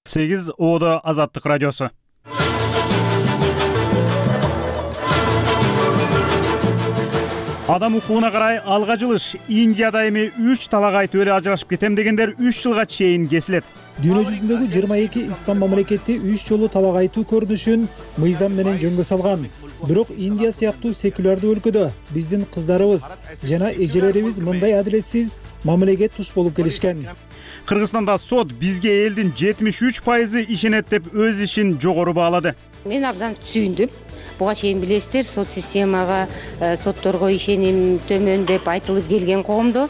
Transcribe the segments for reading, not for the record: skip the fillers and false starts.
8 Оодо Азаттык радиосу. Адам укугуна карай алга жылыш. Индияда эми 3 талак айтып эле ажырашып кетем дегендер 3 жылга чейин кесилет. Дүйнө жүзүндөгү 22 ислам мамлекети 3 жолу талак айтуу көрүнүшүн мыйзам менен жөнгө салган. Бирок Индия сыяктуу секулярдуу өлкөдө биздин кыздарыбыз жана эжелерибиз мындай адилетсиз мамилеге туш болуп келишкен. Кыргызстанда сот бизге элдин 73% ишенет деп өз ишин жогору баалады. Мен абдан сүйүндүм. Буга чейин билесиздер, сот системага, сотторго ишеним төмөн деп айтылып келген коомдо.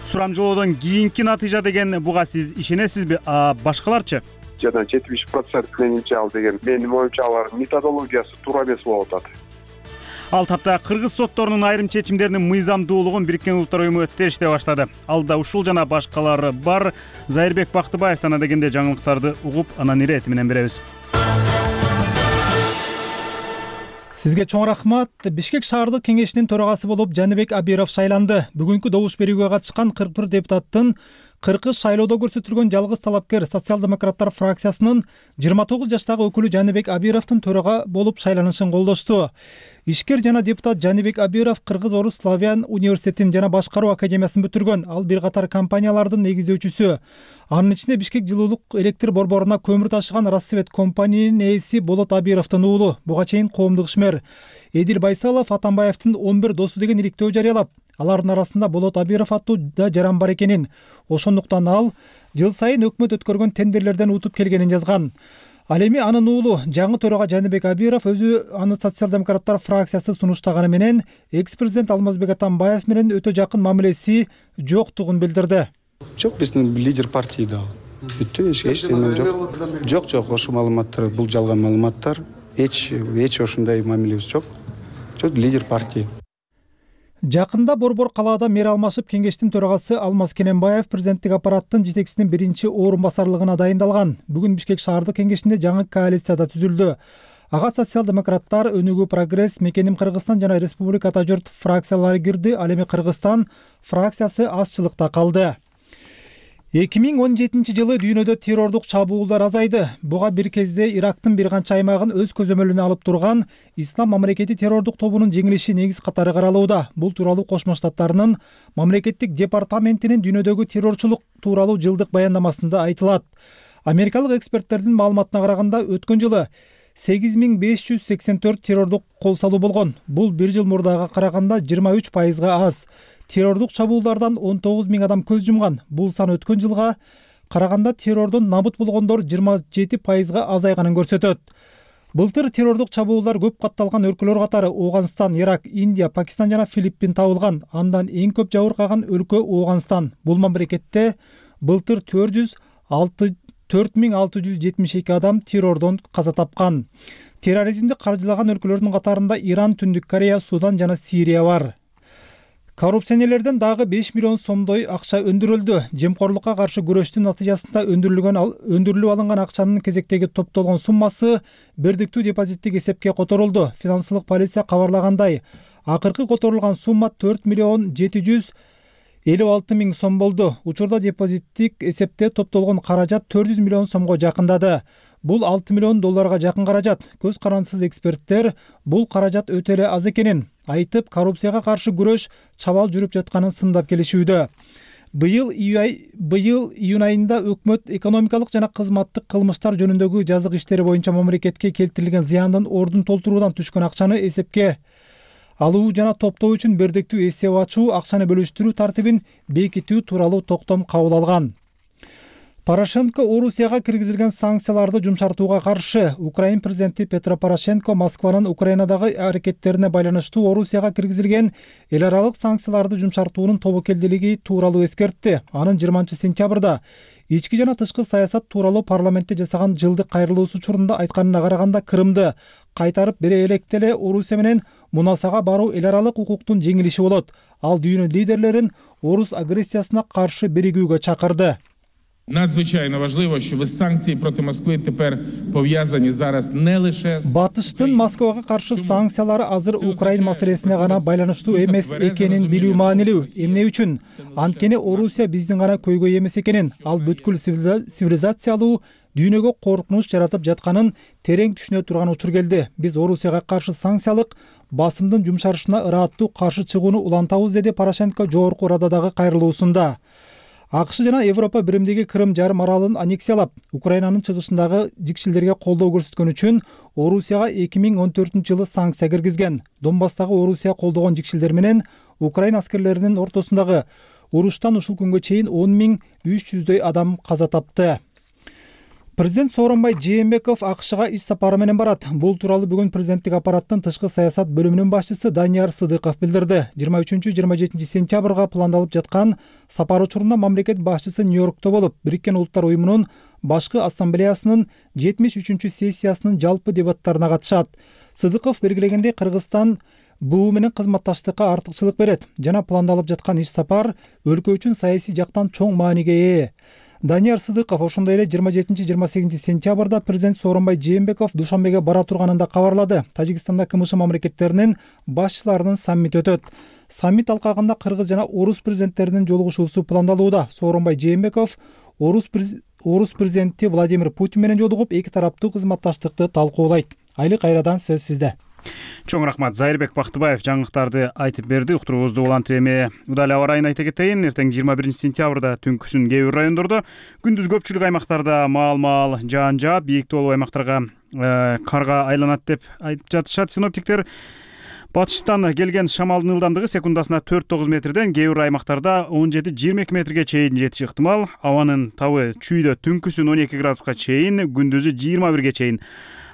Сурамжылоодон кийинки натыйжа деген буга сиз ишенесизби? Башкаларчы? Жана 70% менимче ал деген менин оюмча алардын методологиясы туура эмес болуп атат. Ал тапта кыргыз сотторунун айрым чечимдеринин мыйзамдуулугун Бириккен Улуттар Уюму териштей баштады. Алда ушул жана башкалары бар. Зайырбек Бактыбаевден дегенде жаңылыктарды угуп, анан ирети менен беребиз. Сизге чоң рахмат. Бишкек шаардык кеңешинин төрагасы болуп Жаныбек Абиров шайланды. Бүгүнкү добуш берүүгө катышкан 41 депутаттын 40 шайлоодо көрсөтүлгөн жалгыз талапкер социал-демократтар фракциясынын 29 жаштагы өкүлү Жаныбек Абировдун төрага болуп шайланышын колдошту. Ишкер жана депутат Жаныбек Абиров Кыргыз Орус Славян университетин жана башкаруу академиясын бүтүргөн. Ал бир катар компаниялардын негиздөөчүсү. Анын ичинде Бишкек жылуулук электр борборуна көмүр ташыган Рассвет компаниянын ээси Болот Абировдун уулу. Буга чейин коомдук ишмер Эдил Байсалов Атамбаевдин 11 досу деген иликтөө жарыялап, алардын арасында Болот Абиров аттуу да жаран бар экенин, ошондуктан ал жыл сайын өкмөт өткөргөн тендерлерден утуп келгенин жазган. Ал эми анын уулу жаңы төрага Жаныбек Абиров өзү аны социал-демократтар фракциясы сунуштаганы менен экс-президент Алмазбек Атамбаев менен өтө жакын мамилеси жоктугун билдирди. Жок, биздин лидер партия да. Бүттү, эч нерсе жок. Жок, ошол маалыматтар бул жалган маалыматтар. Эч ошондой мамилебиз жок. Жок, лидер партия. Жакында Борбор калаада мэр алмашып, кеңештин төрагасы Алмаз Кененбаев президенттик аппараттын жетекчисинин биринчи орун басарлыгына дайындалган. Бүгүн Бишкек шаардык кеңешинде жаңы коалицияда түзүлдү. Ага социал-демократтар, Өнүгүү Прогресс, Мекеним Кыргызстан жана Республика Ата Журт фракциялары кирди. Ал эми Кыргызстан фракциясы азчылыкта калды. 2017 жылы дүйнөдө террордук чабуулдар азайды. Буга бир кезде Ирактын бир канча аймагын өз көзөмөлүнө алып турган Ислам мамлекети террордук тобунун жеңилиши негиз катары каралууда. Бул тууралуу Кошмо Штаттарынын мамлекеттик департаментинин дүйнөдөгү террорчулук тууралуу жылдык баяндамасында айтылат. Америкалык эксперттердин маалыматына караганда өткөн жылы 8584 террордук кол салуу болгон. Бул бир жыл мурдага караганда 23% аз. Террордук чабуулдардан 19 000 адам көз жумган. Бул сан өткөн жылга караганда террордон набыт болгондор 27% азайганын көрсөтөт. Былтыр террордук чабуулдар көп катталган өлкөлөр катары Ооганстан, Ирак, Индия, Пакистан жана Филиппин табылган. Андан эң көп жабыркаган өлкө Ооганстан. Бул мамлекетте былтыр 4672 адам террордон каза тапкан. Терроризмди каржылаган өлкөлөрдүн катарында Иран, Түндүк Корея, Судан жана Сирия бар. Коррупционерлерден дагы 5 миллион сомдой акча өндүрүлдү. Жемкорлукка каршы күрөштүн натыйжасында өндүрүлүп алынган акчанын кезектеги топтолгон суммасы бирдиктүү депозиттик эсепке которулду. Финансылык полиция кабарлагандай, акыркы которулган сумма 4 миллион 756 000 сом болду. Учурда депозиттик эсепте топтолгон каражат 400 миллион сомго жакындады. Бул 6 миллион долларга жакын каражат. Көз карандысыз эксперттер бул каражат өтө эле аз экенин айтып, коррупцияга каршы күрөш чабал жүрүп жатканын сындап келишүүдө. Быйыл июнь айында өкмөт экономикалык жана кызматтык кылмыштар жөнүндөгү жазык иштери боюнча мамлекетке келтирилген зыяндын ордун толтуруудан түшкөн акчаны эсепке алуу жана топтоо үчүн бирдиктүү эсеп ачуу, акчаны бөлүштүрүү тартибин бекитүү тууралуу токтом кабыл алган. Порошенко Орусияга киргизилген санкцияларды жумшартууга каршы. Украин президенти Петро Порошенко Москванын Украинадагы аракеттерине байланыштуу Орусияга киргизилген эл аралык санкцияларды жумшартуунун тобокелдилиги тууралуу эскертти. Анын 20-сентябрда ички жана тышкы саясат тууралуу парламентте жасаган жылдык кайрылуусу учурунда айтканына караганда, Крымды кайтарып бере электе эле Орусия менен мунасага баруу эл аралык укуктун жеңилиши болот. Ал дүйнө лидерлерин орус агрессиясына каршы биригүүгө чакырды. Надзвичайно важливо, щоб санкції проти Москви тепер пов'язані зараз не лише з Батыштын Москвага каршы санкциялары азыр Украин маселесине гана байланыштуу эмес экенин билүү маанилүү. Эмне үчүн? Анткени Орусия биздин гана көйгөй эмес экенин, ал бүткүл цивилизациялуу дүйнөгө коркунуч жаратып жатканын терең түшүнө турган учур келди. Биз Орусияга каршы санкциялык басымдын жумшарышына ыраттуу каршы чыгууну улантабыз, деди Порошенко жогорку Рададагы кайрылуусунда. АКШ жана Европа биримдиги Крым жарым аралын аннексиялап, Украинанын чыгышындагы жикшилдерге колдоо көрсөткөн үчүн Орусияга 2014-жылы санкция киргизген. Донбасстагы Орусия колдогон жикшилдер менен Украина аскерлеринин ортосундагы уруштан ушул күнгө чейин 10.300 адам каза тапты. Президент Сооронбай Жээнбеков АКШга иш сапары менен барат. Бул тууралуу бүгүн президенттик аппараттын тышкы саясат бөлүмүнүн башчысы Данияр Сыдыков билдирди. 23-27 сентябрга пландалып жаткан сапар учурунда мамлекет башчысы Нью-Йоркто болуп, Бириккен Улуттар уюмунун башкы ассамблеясынын 73-сессиясынын жалпы дебаттарына катышат. Сыдыков белгилегендей, Кыргызстан БУ менен кызматташтыкка артыкчылык берет жана пландалып жаткан иш сапар өлкө үчүн саясий жактан чоң мааниге ээ. Данияр Сыдыков ошондой эле 27-28 сентябрда президент Сооронбай Жээнбеков Душанбеге бара турганын да кабарлады. Тажикстанда КМШ мамлекеттеринин башчыларынын саммити өтөт. Саммит алкагында кыргыз жана орус президенттеринин жолугушуусу пландалууда. Сооронбай Жээнбеков орус президенти Владимир Путин менен жолугуп, эки тараптуу кызматташтыкты талкуулайт. Айли кайрадан сөз сизде. Чоң рахмат. Зайырбек Бактыбаев жаңылыктарды айтып берди. Уктуруубузду улантып эми удал аба ырайын айта кетейин. Эртең 21 сентябрда түнкүсүн кээ бир райондордо, күндүз көпчүлүк аймактарда маал жаан жаап, бийик тоолуу аймактарга карга айланат деп айтып жатышат синоптиктер. Батыштан келген шамалдын ылдамдыгы секундасына 4-9 метрден кээ бир аймактарда 17-22 метрге чейин жетиши ыктымал. Абанын табы чүйдө түнкүсүн 12 градуска чейин, күндүзү 21 чейин.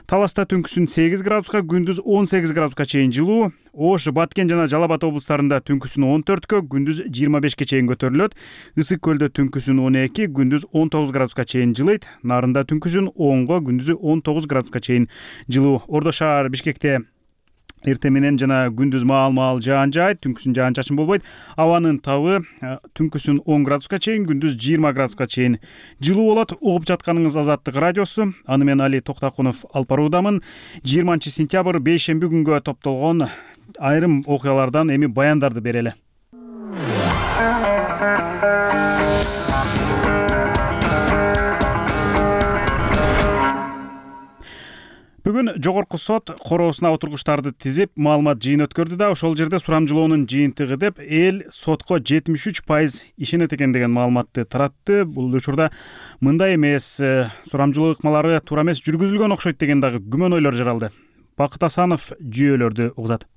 Таласта түнкүсүн 8 градуска, күндүз 18 градуска чейин жылуу. Ош, Баткен жана Жалал Абад облустарында түнкүсүн 14-кө, күндүз 25-ке чейин көтөрүлөт. Ысык көлдө түнкүсүн 12, күндүз 19 градуска чейин жылыйт. Нарында түнкүсүн 10-го, күндүзү 19 градуска чейин жылуу. Ордо шаар Бишкекте эртең менен жана күндүз маал жаан жаайт, түнкүсүн жаан чачын болбойт. Абанын табы түнкүсүн 10 градуска чейин, күндүз 20 градуска чейин жылуу болот. Угуп жатканыңыз Азаттык радиосу. Аны мен Али Токтакунов алып баруудамын. 20 сентябрь бейшемби күнгө топтолгон айрым окуялардан эми баяндарды берели. Бүгүн жогорку сот короосуна отургучтарды тизип, маалымат жыйын өткөрдү да, ошол жерде сурамжылоонун жыйынтыгы деп эл сотко 73% ишенет экен деген маалыматты таратты. Бул учурда мындай эмес, сурамжылоо ыкмалары туура эмес жүргүзүлгөн окшойт деген дагы күмөн ойлор жаралды. Бакыт Асанов жүйөлөрдү угзат.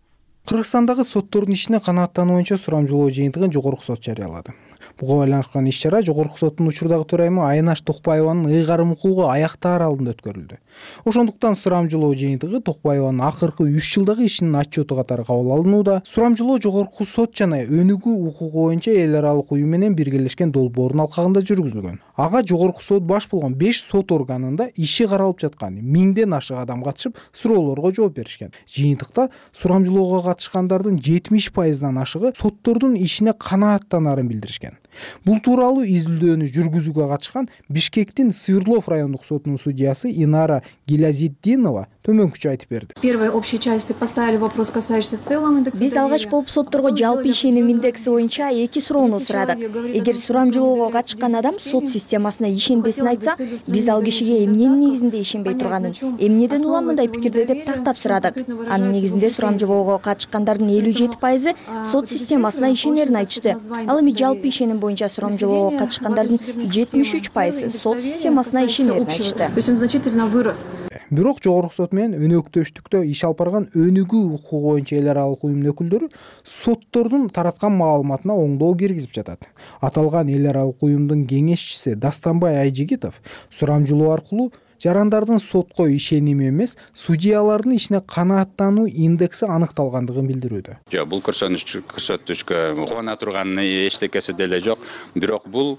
Кыргызстандагы соттордун ишине канааттануу боюнча сурамжылоо жыйынтыгын жогорку сот жарыялады. Буга байланышкан иш-чара жогорку соттун учурдагы төрайымы Айнаш Токпаеванын ыйгарым укугу аяктаар алдында өткөрүлдү. Ошондуктан сурамжылоо жыйынтыгы Токпаеванын акыркы 3 жылдагы ишинин отчету катары кабыл алынууда. Сурамжылоо жогорку сот жана өнүгүү укугу боюнча эл аралык уюм менен биргелешкен долбоордун алкагында жүргүзүлгөн. Ага жогорку сот баш болгон 5 сот органында иши каралып жаткан 1000ден ашык адам катышып, суроолорго жооп беришкен. Жыйынтыкта сурамжылоого катышкандардын 70%дан ашыгы соттордун ишине канааттанаарын билдиришкен. Бул тууралуу изилдөөнү жүргүзүүгө катышкан Бишкектин Свердлов райондук сотунун судьясы Инара Гилязитдинова төмөнкүчө айтып берди. Первой общей части поставили вопрос, касающийся в целом индекса. Биз алгач болуп сотторго жалпы ишеним индекси боюнча 2 суроону сурадык. Эгер сурамжылоого катышкан адам сот системасына ишенбесин айтса, биз ал кишиге эмненин негизинде ишенбей турганын, эмнеден улам мындай пикирде деп тактап сурадык. Анын негизинде сурамжылоого катышкандардын 57% сот системасына ишенерин айтышты. Ал эми жалпы ишеним боюнча сурамжылоого катышкандардын 73% сот системасына ишенерин айтышты. То есть он значительно вырос. Бирок жогорку сот менен өнөктөштүктө иш алып барган өнүгүү укугу боюнча эл аралык уюмдун өкүлдөрү соттордун тараткан маалыматына оңдоо киргизип жатат. Аталган эл аралык уюмдун кеңешчиси Дастанбай Айжигитов сурамжылоо аркылуу жарандардын сотко ишеними эмес, судьялардын ишине канааттануу индекси аныкталгандыгын билдирүүдө. Жок, бул көрсөтүшкө кубана турган эчтекеси деле жок. Бирок бул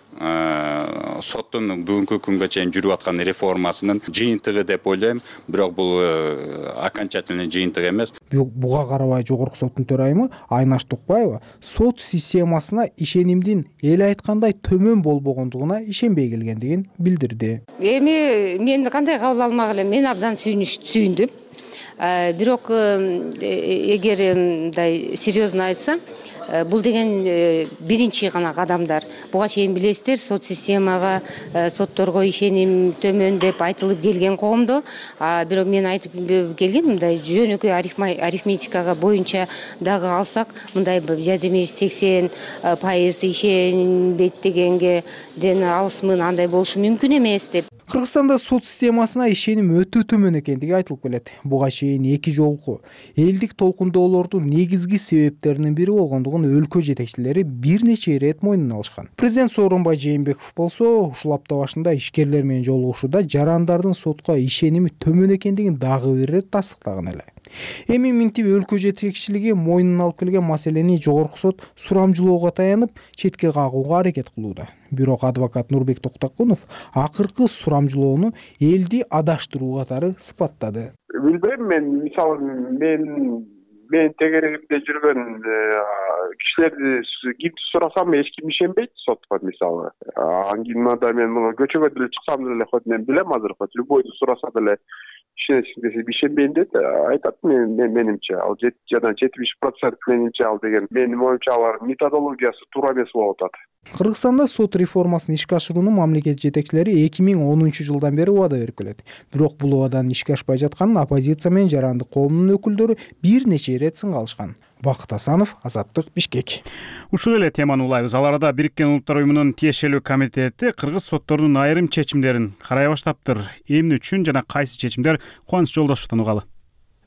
соттун бүгүнкү күнгө чейин жүрүп аткан реформасынын жыйынтыгы деп ойлойм. Бирок бул окончательный жыйынтык эмес. Буга карабай жогорку соттун төрайымы Айнаш Токпаева сот системасына ишенимдин эл айткандай төмөн болбогондугуна ишенбей келгендигин билдирди. Эми мен кандай кабыл алмак элем, мен абдан сүйүндүм. Бирок эгер мындай серьезно айтсам, бул деген биринчи гана кадамдар. Буга чейин билесиздер, сот системага, сотторго ишеним төмөн деп айтылып келген коомдо. Бирок мен айтып келгем, мындай жөнөкөй арифметикага боюнча дагы алсак, мындай 70-80% ишенбейт дегенге алысмын, андай болушу мүмкүн эмес деп. Кыргызстанда сот системасына ишеним өтө төмөн экендиги айтылып келет. Буга чейин эки жолку элдик толкундоолордун негизги себептеринин бири болгондугун өлкө жетекчилери бир нече ирет мойнуна алышкан. Президент Сооронбай Жээнбеков болсо ушул апта башында ишкерлер менен жолугушууда жарандардын сотко ишеними төмөн экендигин дагы бир ирет тастыктаган эле. Эми минтип өлкө жетекчилиги мойнуна алып келген маселени жогорку сот сурамжылоого таянып, четке кагууга аракет кылууда. Бирок адвокат Нурбек Токтокунов акыркы сурамжылоону элди адаштыруу катары сыпаттады. Билбейм, мен мисалы мен тегерегимде жүргөн кишилерди кимди сурасам эч ким ишенбейт сотко мисалы. Аңгинада мен муну көчөгө деле чыксам деле хоть мен билем азыр, хоть любойду сураса деле ишенесиң десе ишенбейм дейт. Айтат менимче ал 70% менимче ал деген менин оюмча алар методологиясы туура эмес болуп атат. Кыргызстанда сот реформасын ишке ашырууну мамлекет жетекчилери 2010-жылдан бери убада берип келет. Бирок бул убаданын ишке ашпай жатканын оппозиция менен жарандык коомдун өкүлдөрү бир нече ирет сынга алышкан. Бакыт Асанов, Азаттык, Бишкек. Ушул эле теманы улайбыз. Ал арада Бириккен Улуттар Уюмунун тиешелүү комитети кыргыз сотторунун айрым чечимдерин карай баштаптыр. Эмне үчүн жана кайсы чечимдер? Кубаныч Жолдошовдон угалы.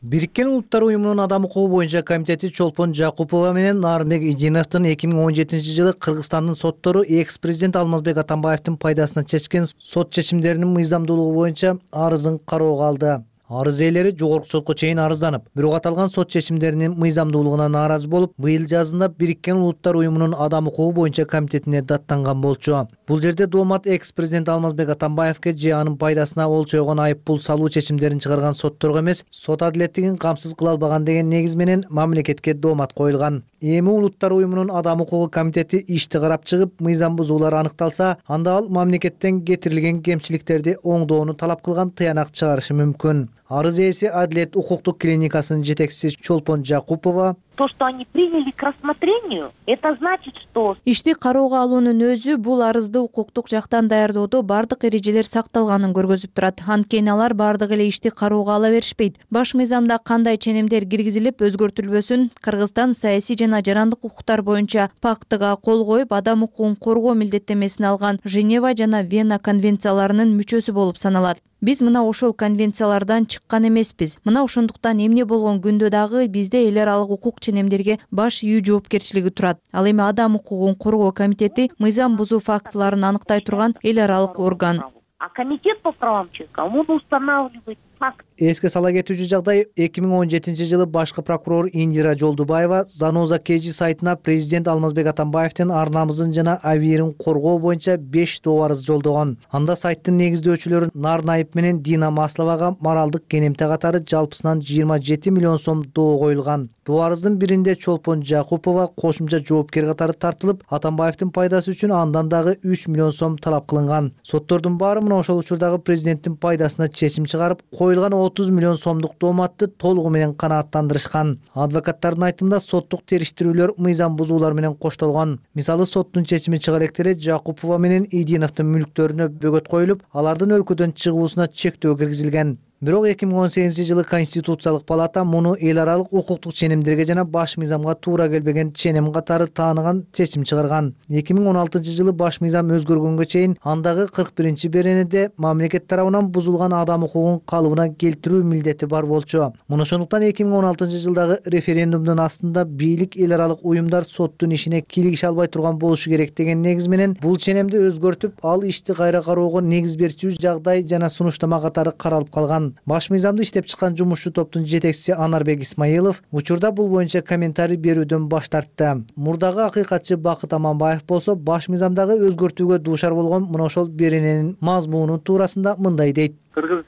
Бириккен Улуттар Уюмунун адам укугу боюнча комитети Чолпон Жакупова менен Нарынбек Идиновдун 2017-жылы Кыргызстандын соттору экс-президент Алмазбек Атамбаевдин пайдасына чечкен сот чечимдеринин мыйзамдуулугу боюнча арызын кароого алды. Арыз ээлери жогорку сотко чейин арызданып, бирок аталган сот чечимдеринин мыйзамдуулугуна нааразы болуп, быйыл жазында Бириккен Улуттар Уюмунун адам укугу боюнча комитетине даттанган болчу. Бул жерде доомат экс-президент Алмазбек Атамбаевге же анын пайдасына олчойгон айыппул салуу чечимдерин чыгарган сотторго эмес, сот адилеттигин камсыз кыла албаган деген негиз менен мамлекетке доомат коюлган. Эми Улуттар Уюмунун адам укугу комитети ишти карап чыгып, мыйзам бузуулар аныкталса, анда ал мамлекеттен кетирилген кемчиликтерди оңдоону талап кылган тыянак чыгарышы мүмкүн. Арыз ээси Адилет укуктук клиникасынын жетекчиси Чолпон Жакупова: То, что они приняли к рассмотрению, это значит, что ишти кароого алуунун өзү бул арызды укуктук жактан даярдоодо бардык эрежелер сакталганын көргөзүп турат. Анткени алар бардык эле ишти кароого ала беришпейт. Баш мыйзамда кандай ченемдер киргизилип өзгөртүлбөсүн, Кыргызстан саясий жана жарандык укуктар боюнча пактыга кол коюп, адам укугун коргоо милдеттемесин алган Женева жана Вена конвенцияларынын мүчөсү болуп саналат. Биз мына ошол конвенциялардан чыккан эмеспиз. Мына ошондуктан эмне болгон күндө дагы бизде эл аралык укук ченемдерге баш ийүү жоопкерчилиги турат. Ал эми адам укугун коргоо комитети мыйзам бузуу фактыларын аныктай турган эл аралык орган. А комитет по правам человека, он устанавливает факт. Эске сала кетүүчү жагдай 2017-жылы башкы прокурор Индира Жолдубаева Заноза Кежи сайтына президент Алмазбек Атамбаевдин ар намысын жана абийирин коргоо боюнча 5 доо арыз жолдогон. Анда сайттын негиздөөчүлөрү Нарын Айып менен Дина Масловага моралдык кенемте катары жалпысынан 27 миллион сом доо коюлган. Доо арыздын биринде Чолпон Жакупова кошумча жоопкер катары тартылып, Атамбаевдин пайдасы үчүн андан дагы 3 миллион сом талап кылынган. Соттордун баары мына ошол учурдагы президенттин пайдасына чечим чыгарып, коюлган 30 миллион сомдук дооматты толугу менен канааттандырышкан. Адвокаттардын айтымында соттук териштирүүлөр мыйзам бузуулар менен коштолгон. Мисалы, соттун чечими чыга электе эле Жакупова менен Идиновдун мүлктөрүнө бөгөт коюлуп, алардын өлкөдөн чыгуусуна чектөө киргизилген. Бирок 2018-жылы Конституциялык палата муну эл аралык укуктук ченемдерге жана баш мыйзамга туура келбеген ченем катары тааныган чечим чыгарган. 2016-жылы баш мыйзам өзгөргөнгө чейин андагы 41-беренеде мамлекет тарабынан бузулган адам укугун калыбына келтирүү милдети бар болчу. Муну ошондуктан 2016-жылдагы референдумдун астында бийлик эл аралык уюмдар соттун ишине кийлигише албай турган болушу керек деген негиз менен бул ченемди өзгөртүп, ал ишти кайра кароого негиз берчү жагдай жана сунуштама катары каралып калган. Баш мыйзамды иштеп чыккан жумушчу топтун жетекчиси Анарбек Исмаилов учурда бул боюнча комментарий берүүдөн баш тартты. Мурдагы акыйкатчы Бакыт Аманбаев болсо баш мыйзамдагы өзгөртүүгө дуушар болгон мына ошол берененин мазмуну туурасында мындай дейт. Кыргыз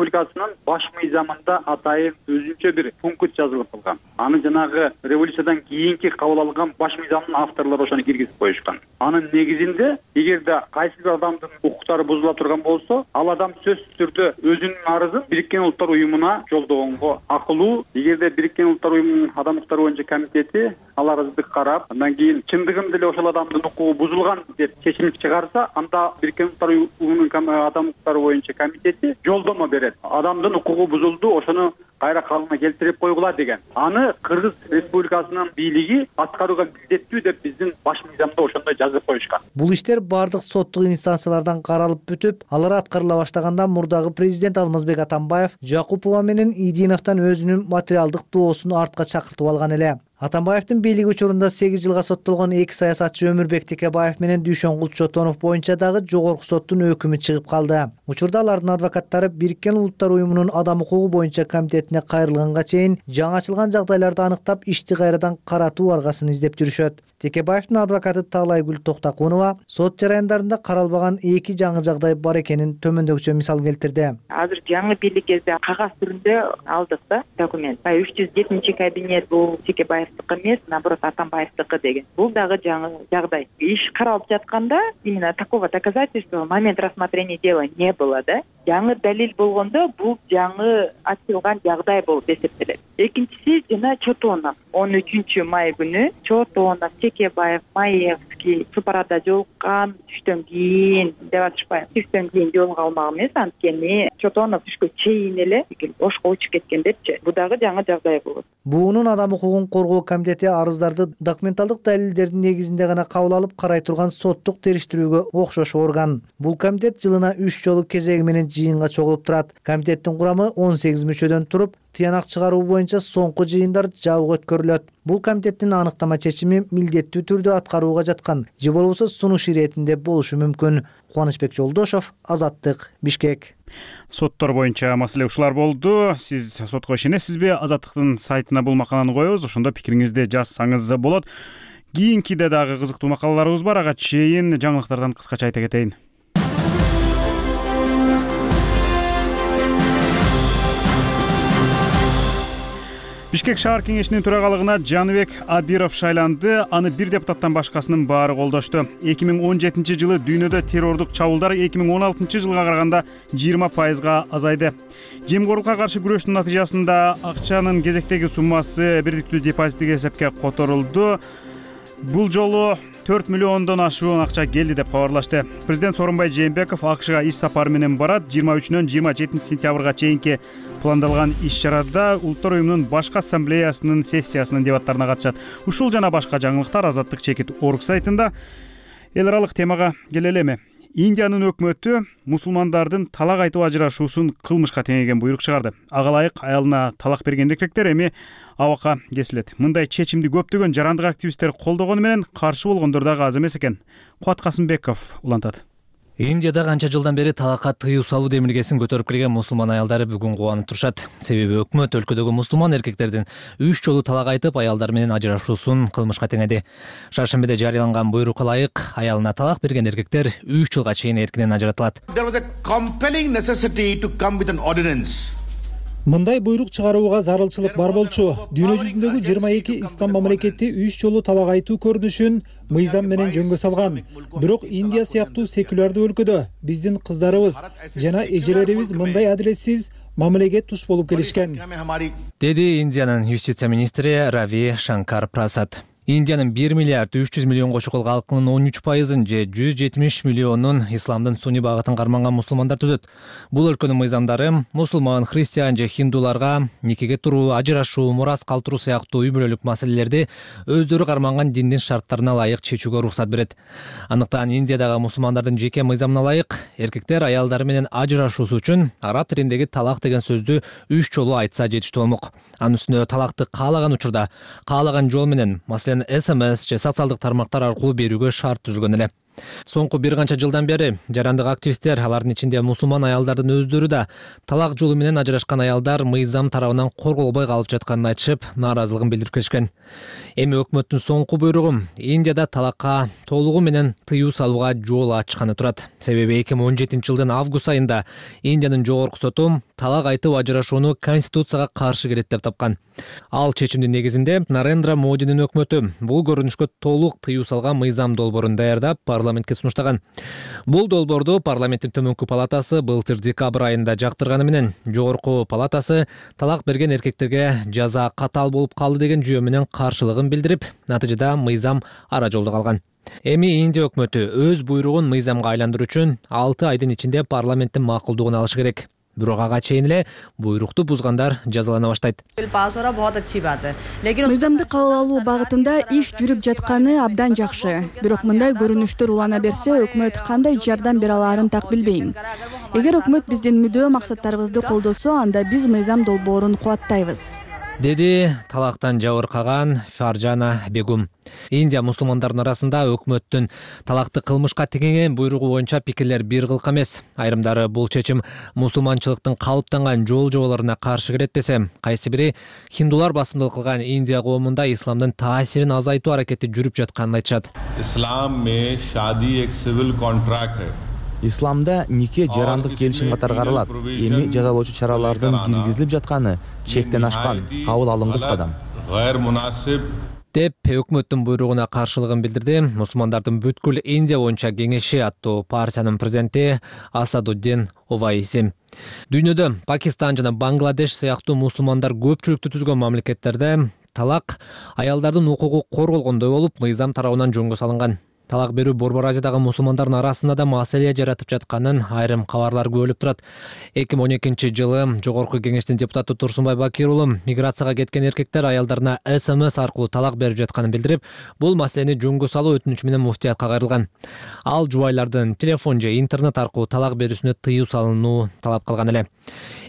Республикасынын баш мыйзамында атайын өзүнчө бир пункт жазылып калган. Аны жанагы революциядан кийинки кабыл алынган баш мыйзамдын авторлору ошону киргизип коюшкан. Анын негизинде эгерде кайсы бир адамдын укуктары бузула турган болсо, ал адам сөзсүз түрдө өзүнүн арызын Бириккен Улуттар Уюмуна жолдогонго акылуу. Эгерде Бириккен Улуттар Уюмунун адам укуктары боюнча комитети ал арызды карап, андан кийин чындыгында эле ошол адамдын укугу бузулган деп чечим чыгарса, анда Бириккен Улуттар Уюмунун адам укуктары боюнча комитети жолдомо берет. Адамдын укугу бузулду, ошону кайра калыбына келтирип койгула деген. Аны Кыргыз Республикасынын бийлиги аткарууга милдеттүү деп биздин баш мыйзамда ошондой жазып коюшкан. Бул иштер бардык соттук инстанциялардан каралып бүтүп, алар аткарыла баштаганда мурдагы президент Алмазбек Атамбаев Жакупова менен Идиновдон өзүнүн материалдык доосун артка чакыртып алган эле. Атамбаевдин бийлиги учурунда 8 жылга соттолгон эки саясатчы Өмүрбек Текебаев менен Дүйшөнгул Чотонов боюнча дагы жогорку соттун өкүмү чыгып калды. Учурда алардын адвокаттары Бириккен Улуттар Уюмунун адам укугу боюнча комитетине кайрылганга чейин жаңы ачылган жагдайларды аныктап, ишти кайрадан каратуу аргасын издеп жүрүшөт. Текебаевдин адвокаты Таалайгүл Токтакунова сот жараяндарында каралбаган эки жаңы жагдай бар экенин төмөндөгүчө мисал келтирди. Азыр жаңы бийлик кезде кагаз түрүндө алдык да документ. 307 кабинет бул Текебаевдики эмес, наоборот Атамбаевдики деген. Бул дагы жаңы жагдай. Иш каралып жатканда именно такого доказательства в момент рассмотрения дела не было, да? Жаңы далил болгондо бул жаңы ачылган жагдай болуп эсептелет. Экинчиси жана Чотонов 13 май күнү Чотонов, Текебаев, Маевский супар арада жолуккан, түштөн кийин деп атышпайбы. Түштөн кийин жолуга алмак эмес, анткени Чотонов түшкө чейин эле ошко учуп кеткен депчи. Бул дагы жаңы жагдай болот. Буунун адам укугун коргоо комитети арыздарды документалдык далилдердин негизинде гана кабыл алып карай турган соттук териштирүүгө окшош орган. Бул комитет жылына 3 жолу кезеги менен жыйынга чогулуп турат. Комитеттин курамы 18 мүчөдөн туруп, тыянак чыгаруу боюнча соңку жыйындар жабык өткөрүлөт. Бул комитеттин аныктама чечими милдеттүү түрдө аткарууга жаткан же болбосо сунуш иретинде болушу мүмкүн. Кубанычбек Жолдошов, Азаттык, Бишкек. Соттор боюнча маселе ушулар болду. Сиз сотко ишенесизби? Азаттыктын сайтына бул макаланы коебуз, ошондо пикириңизди жазсаңыз болот. Кийинкиде дагы кызыктуу макалаларыбыз бар, ага чейин жаңылыктардан кыскача айта кетейин. Бишкек шаар кеңешинин төрагалыгына Жаныбек Абиров шайланды. Аны бир депутаттан башкасынын баары колдошту. 2017 жылы дүйнөдө террордук чабуулдар 2016 жылга караганда 20% азайды. Жемгорлукка каршы күрөштүн натыйжасында акчанын кезектеги суммасы бирдиктүү депозиттик эсепке которулду. Бул жолу 4 миллиондон ашуун акча келди деп кабарлашты. Президент Сооронбай Жээнбеков АКШга иш сапары менен барат. 23-нөн 27 сентябрга чейинки пландалган иш-чарада Улуттар Уюмунун башкы ассамблеясынын сессиясынын дебаттарына катышат. Ушул жана башка жаңылыктар Азаттык чекит орг сайтында. Эл аралык темага келелеми. Индиянын өкмөтү мусулмандардын талак айтып ажырашуусун кылмышка теңеген буйрук чыгарды. Ага ылайык аялына талак берген эркектер эми абакка кесилет. Мындай чечимди көптөгөн жарандык активисттер колдогону менен каршы болгондор дагы аз эмес экен. Кубат Касымбеков улантат. Индияда канча жылдан бери талакка тыюу салуу демилгесин көтөрүп келген мусулман аялдары бүгүн кубанып турушат. Себеби өкмөт өлкөдөгү мусулман эркектердин 3 жолу талак айтып аялдар менен ажырашуусун кылмышка теңеди. Шаршембиде жарыяланган буйрукка ылайык аялына талак берген эркектер 3 жылга чейин эркинен ажыратылат. Мындай буйрук чыгарууга зарылчылык бар болчу. Дүйнө жүзүндөгү 22 ислам мамлекети 3 жолу талак айтуу көрүнүшүн мыйзам менен жөнгө салган. Бирок Индия сыяктуу секулярдуу өлкөдө биздин кыздарыбыз жана эжелерибиз мындай адилетсиз мамилеге туш болуп келишкен, деди Индиянын юстиция министри Рави Шанкар Прасад. Индиянын 1 миллиард 300 миллионго чукул калкынын 13%-ын же 170 миллионун исламдын сунни багытын карманган мусулмандар түзөт. Бул өлкөнүн мыйзамдары мусулман, христиан же хиндуларга никеге туруу, ажырашуу, мурас калтыруу сыяктуу үй бүлөлүк маселелерди өздөрү карманган диндин шарттарына ылайык чечүүгө уруксат берет. Андыктан Индиядагы мусулмандардын жеке мыйзамына ылайык эркектер аялдары менен ажырашуусу үчүн араб тилиндеги талак деген сөздү 3 жолу айтса жетиштүү болмок. Анын үстүнө талакты каалаган учурда, каалаган жол менен, СМС же социалдык тармактар аркылуу берүүгө шарт түзүлгөн эле. Соңку бир канча жылдан бери жарандык активисттер, алардын ичинде мусулман аялдардын өздөрү да талак жолу менен ажырашкан аялдар мыйзам тарабынан корголбой калып жатканын айтышып, нааразылыгын билдирип келишкен. Эми өкмөттүн соңку буйругу Индияда талакка толугу менен тыюу салууга жол ачканы турат. Себеби 2017 жылдын август айында Индиянын жогорку соту талак айтып ажырашууну конституцияга каршы келет деп тапкан. Ал чечимдин негизинде Нарендра Модинин өкмөтү бул көрүнүшкө толук тыюу салган мыйзам долбоорун даярдап парламентке сунуштаган. Бул долбоорду парламенттин төмөнкү палатасы былтыр декабрь айында жактырганы менен жогорку палатасы талак берген эркектерге жаза катаал болуп калды деген жүйө менен каршылыгын билдирип, натыйжада мыйзам ара жолдо калган. Эми Индия өкмөтү өз буйругун мыйзамга айландыруу үчүн 6 айдын ичинде парламенттин макулдугун алышы керек. Бирок ага чейин эле буйрукту бузгандар жазалана баштайт. Мыйзамды кабыл алуу багытында иш жүрүп жатканы абдан жакшы. Бирок мындай көрүнүштөр улана берсе, өкмөт кандай жардам бере алаарын так билбейм. Эгер өкмөт биздин мүдөө максаттарыбызды колдосо, анда биз мыйзам долбоорун кубаттайбыз, деди талактан жабыркаган Фаржана Бегум. Индия мусулмандардын арасында өкмөттүн талакты кылмышка теңеген буйругу боюнча пикирлер бир кылк эмес. Айрымдары бул чечим мусулманчылыктын калыптанган жол жоболоруна каршы келет десе, кайсы бири хиндулар басымдылык кылган Индия коомунда исламдын таасирин азайтуу аракети жүрүп жатканын айтышат. Исламда нике жарандык келишим катары каралат. Эми жазалоочу чаралардын киргизилип жатканы чектен ашкан, кабыл алынгыс кадам деп өкмөттүн буйругуна каршылыгын билдирди Мусулмандардын бүткүл Индия боюнча кеңеши аттуу партиянын президенти Асадуддин Овайси. Дүйнөдө Пакистан жана Бангладеш сыяктуу мусулмандар көпчүлүктү түзгөн мамлекеттерде талак аялдардын укугу корголгондой болуп, мыйзам тарабынан жөнгө салынган. Талак берүү Борбор Азиядагы мусулмандардын арасында да маселе жаратып жатканын айрым кабарлар көрүлүп турат. 2012 жылы Жогорку кеңештин депутаты Турсунбай Бакир уулу миграцияга кеткен эркектер аялдарына СМС аркылуу талак берип жатканын билдирип, бул маселени жөнгө салуу өтүнүчү менен муфтиятка кайрылган. Ал жубайлардын телефон же интернет аркылуу талак берүүсүнө тыюу салынуу талап кылган эле.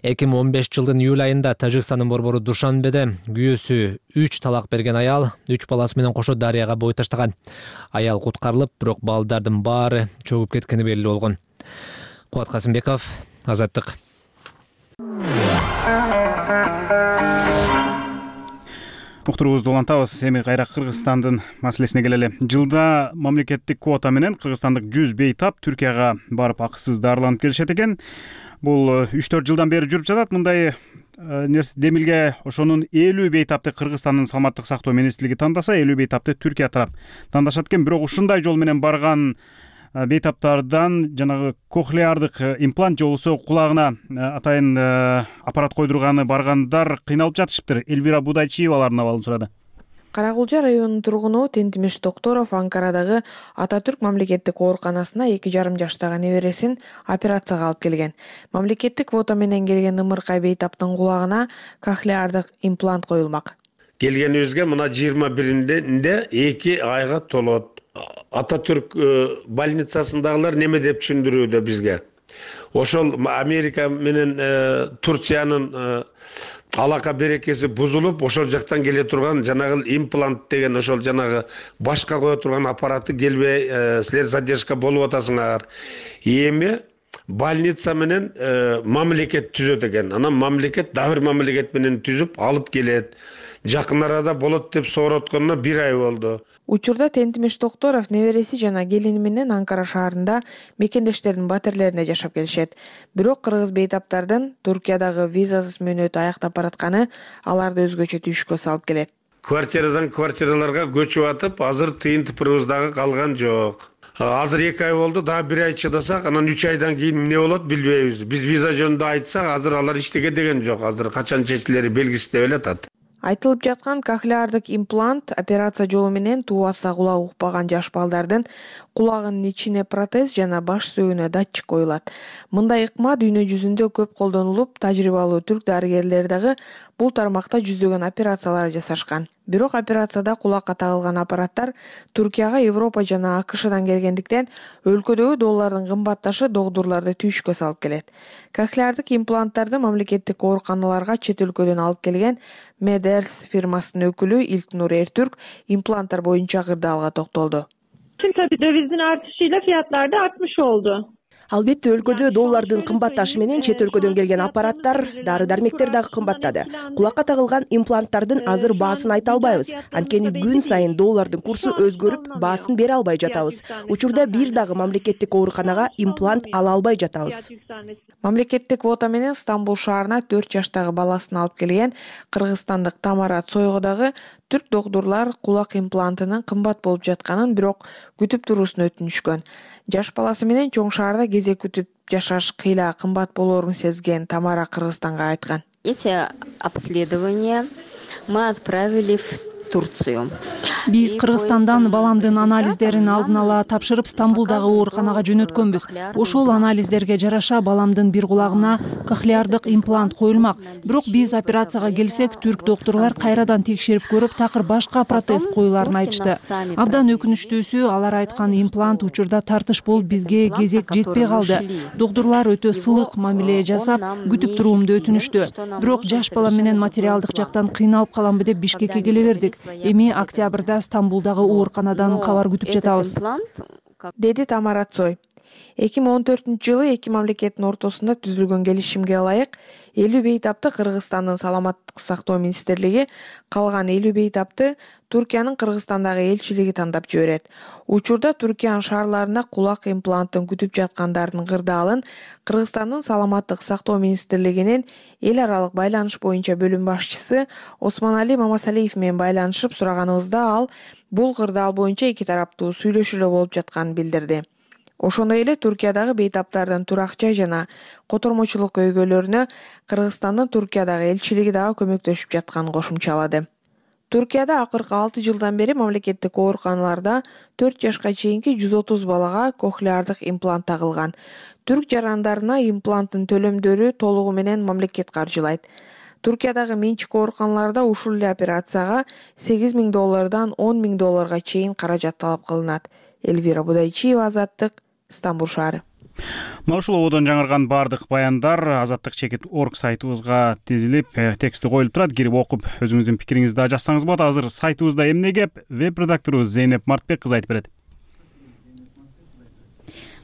2015 жылдын июль айында Тажикстандын борбору Душанбеде күйөөсү 3 талак берген аял 3 баласы менен кошо дарыяга бой таштаган. Аял куткарылып, бирок балдардын баары чөгүп кеткени белгилүү болгон. Кубат Касымбеков, Азаттык. Уктуруубузду улантабыз. Эми кайра Кыргызстандын маселесине келели. Жылда мамлекеттик квота менен кыргызстандык 100 бейтап Түркияга барып акысыз дарыланып келишет экен. Бул 3-4 жылдан бери жүрүп жатат. Мындай демилге ошонун 50 бейтапты Кыргызстандын саламаттык сактоо министрлиги тандаса, 50 бейтапты Түркия тарап тандашат экен. Бирок ушундай жол менен барган бейтаптардан жанагы кохлеардык имплант же болбосо кулагына атайын аппарат койдурганы баргандар кыйналып жатышыптыр. Элвира Будайчиевалардын абалын сурады. Каракулча районунун тургуну Тентимиш Токторов Анкарадагы Ататүрк мамлекеттик ооруканасына 2,5 жаштагы небересин операцияга алып келген. Мамлекеттик квота менен келген ымыркай бейтаптын кулагына кохлеардык имплант коюлмак. Келгенибизге мына 21-inde 2 айга толот. Ататүрк больницасындагылар неме деп түшүндүрүүдө бизге. Ошол Америка менен Турциянын алака берекеси бузулуп, ошол жактан келе турган жанагы имплант деген ошол жанагы башка кое турган аппараты келбей, силер задержка болуп атасыңар. Эми больница менен мамлекет түзөт экен. Анан мамлекет дагы бир мамлекет менен түзүп алып келет. Жакын арада болот деп соротконуна 1 ай болду. Учурда Тентимиш Токторов небереси жана келини менен Анкара шаарында мекендештердин батирлерине жашап келишет. Бирок кыргыз бейтаптардын Туркиядагы визасыз мөөнөтү аяктап баратканы аларды өзгөчө түйүшкө салып келет. Квартирадан квартираларга көчүп атып, азыр тыйын тыпырыбыз дагы калган жок. Азыр 2 ай болду, дагы 1 ай чыдасак, анан 3 айдан кийин эмне болот билбейбиз. Биз виза жөнүндө айтсак, азыр алар иштеге деген жок. Азыр качан чечилери белгисиз деп эле. Айтылып жаткан кохлеардык имплант операция жолу менен тубаса кулак укпаган жаш балдардын кулагынын ичине протез жана баш сөөгүнө датчик коюлат. Мындай ыкма дүйнө жүзүндө көп колдонулуп, тажрыйбалуу түрк дарыгерлери дагы бул тармакта жүздөгөн операциялар жасашкан. Бирок операцияда кулакка тагылган аппараттар Туркияга Европа жана АКШдан келгендиктен өлкөдөгү доллардын кымбатташы догдурларды түйүшкө салып келет. Кохлеардык импланттарды мамлекеттик ооруканаларга чет өлкөдөн алып келген Медерс фирмасынын өкүлү Илтнур Эртүрк импланттар боюнча кырдаалга токтолду. tabii dövizin artışıyla fiyatlar da artmış oldu. Албетте өлкөдө доллардын кымбатташы менен чет өлкөдөн келген аппараттар, дары дармектер дагы кымбаттады. Кулакка тагылган импланттардын азыр баасын айта албайбыз. Анткени күн сайын доллардын курсу өзгөрүп, баасын бере албай жатабыз. Учурда бир дагы мамлекеттик ооруканага имплант ала албай жатабыз. Мамлекеттик квота менен Стамбул шаарына 4 жаштагы баласын алып келген кыргызстандык Тамара Цойго дагы түрк доктурлар кулак имплантынын кымбат болуп жатканын, бирок күтүп туруусун өтүнүшкөн. Жаш баласы менен чоң шаарда кезек күтүп жашаш кыйла кымбат болоорун сезген Тамара Кыргызстанга айткан. Эти обследования мы отправили в Турцию. Биз Кыргызстандан баламдын анализдерин алдын ала тапшырып, Стамбулдагы ооруканага жөнөткөнбүз. Ошол анализдерге жараша баламдын бир кулагына кохлеардык имплант коюлмак. Бирок биз операцияга келсек, түрк доктурлар кайрадан текшерип көрүп, такыр башка протез коюларын айтышты. Абдан өкүнүчтүүсү, алар айткан имплант учурда тартыш болуп, бизге кезек жетпей калды. Доктурлар өтө сылык мамиле жасап, күтүп туруумду өтүнүштү. Бирок жаш балам менен материалдык жактан кыйналып каламбы деп Бишкекке келе бердик. Эми октябрда Стамбулдагы ооруканадан кабар күтүп жатабыз, деди Тамара Цой. 2014-жылы эки мамлекеттин ортосунда түзүлгөн келишимге ылайык 50 бейтапты Кыргызстандын саламаттык сактоо министрлиги, калган 50 бейтапты Туркиянын Кыргызстандагы элчилиги тандап жиберет. Учурда Туркиянын шаарларында кулак имплантын күтүп жаткандардын кырдаалын Кыргызстандын саламаттык сактоо министрлигинин эл аралык байланыш боюнча бөлүм башчысы Осмонали Мамасалиев менен байланышып сураганыбызда, ал бул кырдаал боюнча эки тараптуу сүйлөшүүлөр болуп жатканын билдирди. Ошондой эле Туркиядагы бейтаптардын турак жай жана котормочулук көйгөйлөрүнө Кыргызстандын Туркиядагы элчилиги дагы көмөктөшүп жатканын кошумчалады. Туркияда акыркы 6 жылдан бери мамлекеттик ооруканаларда 4 жашка чейинки 130 балага кохлеардык имплант тагылган. Түрк жарандарына импланттын төлөмдөрү толугу менен мамлекет каржылайт. Туркиядагы менчик ооруканаларда ушул эле операцияга $8,000 $10,000 чейин каражат талап кылынат. Эльвира Будайчиева, Азаттык, Стамбул шаары. Мына ушул ободон жаңырган баардык баяндар Азаттык чекит орг сайтыбызга тизилип, тексти коюлуп турат. Кирип окуп, өзүңүздүн пикириңизди да жазсаңыз болот. Азыр сайтыбызда эмне кеп? Веб-редактору Зейнеп Мартбек кызы айтып берет.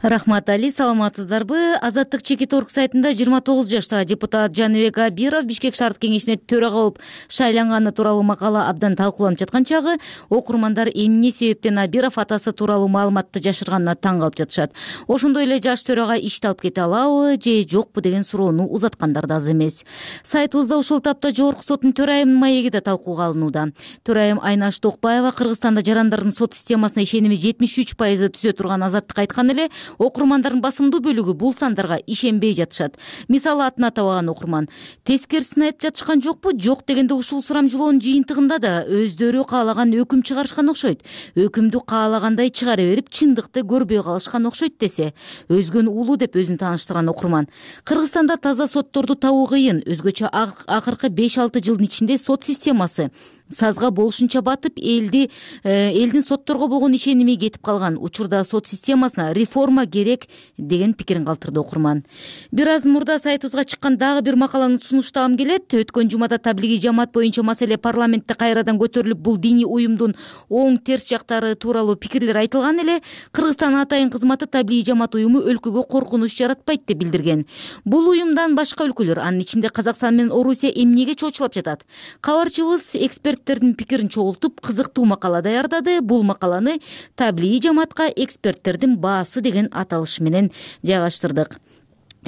Рахмат Али, саламатсыздарбы? Азаттык чекит орг сайтында 29 жаштагы депутат Жаныбек Абиров Бишкек шаардык кеңешине төрага болуп шайланганы тууралуу макала абдан талкууланып жаткан чагы, окурмандар эмне себептен Абиров атасы тууралуу маалыматты жашырганына таң калып жатышат. Ошондой эле жаш төрага ишти алып кете алабы же жокпу деген суроону узаткандар да аз эмес. Сайтыбызда ушул тапта Жогорку соттун төрайымынын маеги да талкууга алынууда. Төрайым Айнаш Токпаева Кыргызстанда жарандардын сот системасына ишеними 73% түзө турган Азаттыкка айткан эле, окурмандардын басымдуу бөлүгү бул сандарга ишенбей жатышат. Мисалы, атын атабаган окурман тескерисин айтып жатышкан жокпу? Жок дегенде ушул сурамжылоонун жыйынтыгында да өздөрү каалаган өкүм чыгарышкан окшойт. Өкүмдү каалагандай чыгара берип, чындыкты көрбөй калышкан окшойт десе, өзгөнү улуу деп өзүн тааныштырган окурман. Кыргызстанда таза сотторду табуу кыйын. Өзгөчө акыркы 5-6 жылдын ичинде сот системасы сазга болушунча батып, элдин сотторго болгон ишеними кетип калган. Учурда сот системасына реформа керек деген пикирин калтырды окурман. Бир аз мурда сайтыбызга чыккан дагы бир макаланы сунуштагым келет. Өткөн жумада таблиги жамаат боюнча маселе парламентте кайрадан көтөрүлүп, бул диний уюмдун оң терс жактары тууралуу пикирлер айтылган эле. Кыргызстан атайын кызматы таблиги жамаат уюму өлкөгө коркунуч жаратпайт деп билдирген. Бул уюмдан башка өлкөлөр, анын ичинде Казакстан менен Орусия эмнеге чоочулап жатат? Кабарчыбыз эксперттердин пикирин чогултуп, кызыктуу макала даярдады. Бул макаланы таблиги жамаатка эксперттердин баасы деген аталыш менен жайгаштырдык.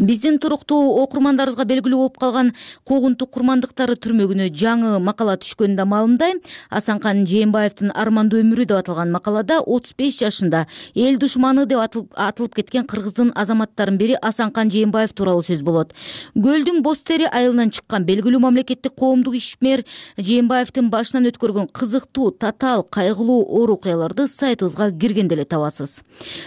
Биздин туруктуу окурмандарыбызга белгилүү болуп калган куугунтук курмандыктары түрмөгүнө жаңы макала түшкөнүн да маалымдайм. Асанкан Жээнбаевдин Армандуу өмүрү деп аталган макалада 35 жашында эл душманы деп атылып кеткен кыргыздын азаматтарынын бири Асанкан Жээнбаев тууралуу сөз болот. Гөлдүн боз тери айылынан чыккан белгилүү мамлекеттик коомдук ишмер Жээнбаевдин башынан өткөргөн кызыктуу, татаал, кайгылуу оор окуяларды сайтыбызга киргенде эле табасыз.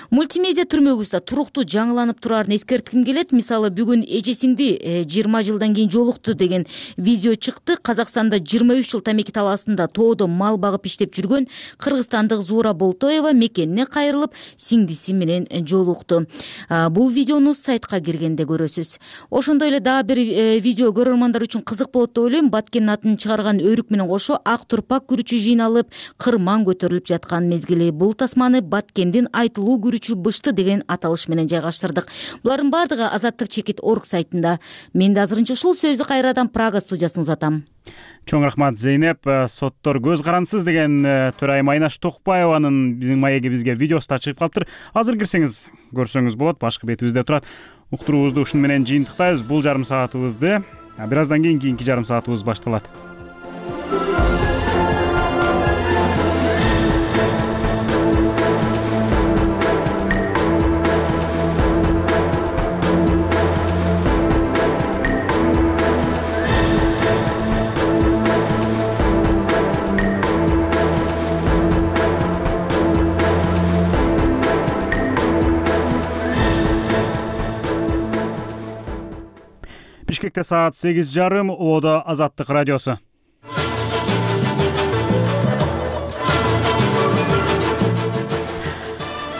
Мультимедиа түрмөгүбүздө туруктуу жаңыланып турарын эскертким келет. мисалы бүгүн эжесиңди 20 жылдан кийин жолукту деген видео чыкты. Казакстанда 23 жыл тамеки талаасында тоодо мал багып иштеп жүргөн кыргызстандык Зуура Болтоева мекенине кайрылып сиңдиси менен жолукту. Бул видеону сайтка киргенде көрөсүз. Ошондой эле дагы бир видео көрөрмандар үчүн кызык болот деп ойлойм. Баткендин атын чыгарган өрүк менен кошо ак турпак күрүчү жыйналып, кырман көтөрүлүп жаткан мезгили. Бул тасманы Баткендин айтылуу күрүчү бышты деген аталыш менен жайгаштырдык. Булардын бардыгы Азаттык чекит орг сайтында. Мен да азырынча ушул сөздү кайрадан Прага студиясына узатам. Чоң рахмат Зейнеп. Соттор көз карансыз деген төрайым Айнаш Токпаеванын биздин маеги бизге видеосу да чыгып калыптыр. Азыр кирсеңиз көрсөңүз болот, башкы бетибизде турат. Уктуруубузду ушун менен жыйынтыктайбыз. Бул жарым саатыбызды бир аздан кийин кийинки жарым саатыбыз башталат. Бишкекте саат 8:30, Оодо Азаттык радиосу.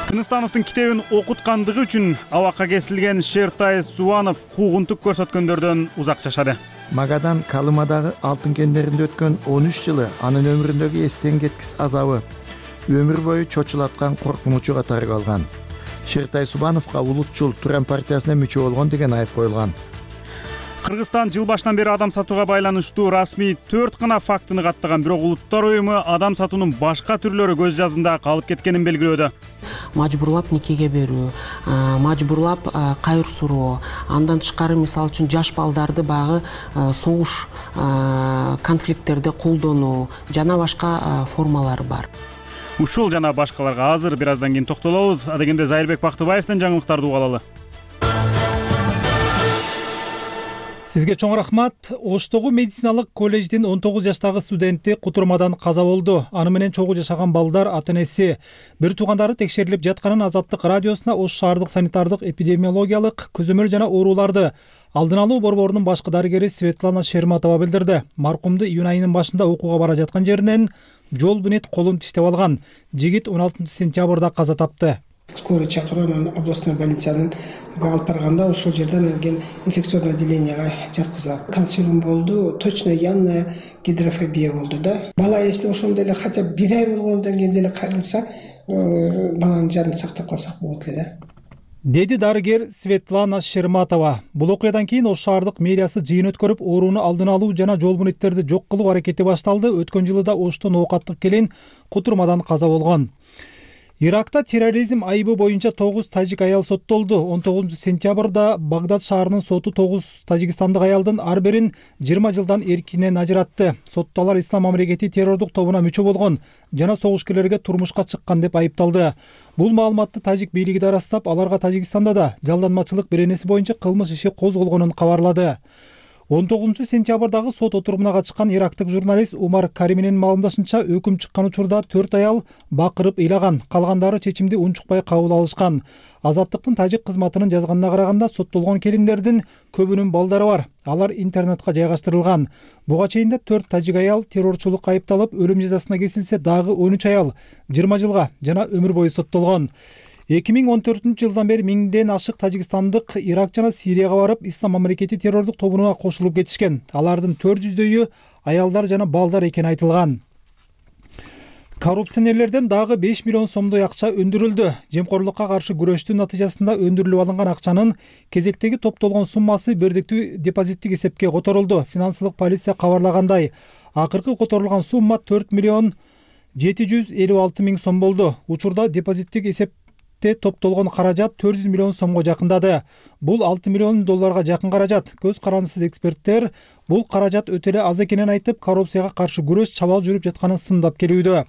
Тыныстановдун китебин окуткандыгы үчүн абакка кесилген Шертай Субанов куугунтук көрсөткөндөрдөн узак жашады. Магадан Калымадагы алтын кендеринде өткөн 13 жылы анын өмүрүндөгү эстен кеткис азабы өмүр бою чочулаткан коркунучу катары калган. Шертай Субановго улутчул Туран партиясына мүчө болгон деген айып коюлган. Кыргызстан жыл башынан бери адам сатууга байланыштуу расмий 4 гана фактыны каттаган, бирок Улуттар уюму адам сатуунун башка түрлөрү көз жазында калып кеткенин белгилөөдө. Мажбурлап никеге берүү, мажбурлап кайыр суроо, андан тышкары мисалы үчүн жаш балдарды багы согуш конфликттерде колдонуу жана башка формалары бар. Ушул жана башкаларга азыр бир аздан кийин токтолобуз. Адегенде Зайырбек Бактыбаевдин жаңылыктарды угалалы. Сизге чоң рахмат. Оштогу медициналык колледждин 19 жаштагы студенти кутурмадан каза болду. Аны менен чогуу жашаган балдар ата-энеси, бир туугандары текшерилип жатканын Азаттык радиосуна Ош шаардык санитардык эпидемиологиялык көзөмөл жана ооруларды алдын алуу борборунун башкы дарыгери Светлана Шерматова билдирди. Маркумду июнь айынын башында окууга бара жаткан жеринен жол бүнөт колун тиштеп алган. Жигит 16 сентябрда каза тапты. Скорый чакырып, анан областной больницанын алып барганда ошол жерден анан инфекционный отделениеге жаткызат. Консилиум болду, точно явная гидрофобия болду да. Бала если ошондой эле хотя бы 1 ай болгондон кийин деле кайрылса, баланын жанын сактап калсак болот эле да. Деди дарыгер Светлана Шерматова. Бул окуядан кийин Ош шаардык мэриясы жыйын өткөрүп, ооруну алдын алуу жана жол бүнөттерди жок кылуу аракети башталды. Өткөн жылы да Оштон оокаттык келин кутурмадан каза болгон. Иракта терроризм айыбы боюнча 9 тажик аял соттолду. 19 сентябрда Багдад шаарынын соту 9 тажикстандык аялдын ар бирин 20 жылдан эркинен ажыратты. Соттолар ислам мамлекети террордук тобуна мүчө болгон жана согушкерлерге турмушка чыккан деп айыпталды. Бул маалыматты тажик бийлиги да ырастап, аларга Тажикстанда да жалданмачылык беренеси боюнча кылмыш иши козголгонун кабарлады. 19 сентябрдагы сот отурумуна катышкан ирактык журналист Умар Кариминин маалымдашынча, өкүм чыккан учурда 4 аял бакырып ыйлаган, калгандары чечимди унчукпай кабыл алышкан. Азаттыктын тажик кызматынын жазганына караганда, соттолгон келиндердин көбүнүн балдары бар. Алар интернетке жайгаштырылган. Буга чейин да 4 тажик аял террорчулукка айыпталып, өлүм жазасына кесилсе, дагы 13 аял 20 жылга жана өмүр бою соттолгон. 2014 жылдан бери миңден ашык тажикстандык Ирак жана Сирияга барып, ислам мамлекети террордук тобуна кошулуп кетишкен. Алардын 400дөйү аялдар жана балдар экени айтылган. Коррупционерлерден дагы 5 миллион сомдой акча өндүрүлдү. Жемкорлукка каршы күрөштүн натыйжасында өндүрүлүп алынган акчанын кезектеги топтолгон суммасы бирдиктүү депозиттик эсепке которулду. Финансылык полиция кабарлагандай, акыркы которулган сумма 4 миллион 756 миң сом болду. Учурда депозиттик эсеп топтолгон каражат 400 миллион сомго жакындады. Бул 6 миллион долларга жакын каражат. Көз карандысыз эксперттер бул каражат өтө эле аз экенин айтып, коррупцияга каршы күрөш чабал жүрүп жатканын сындап келүүдө.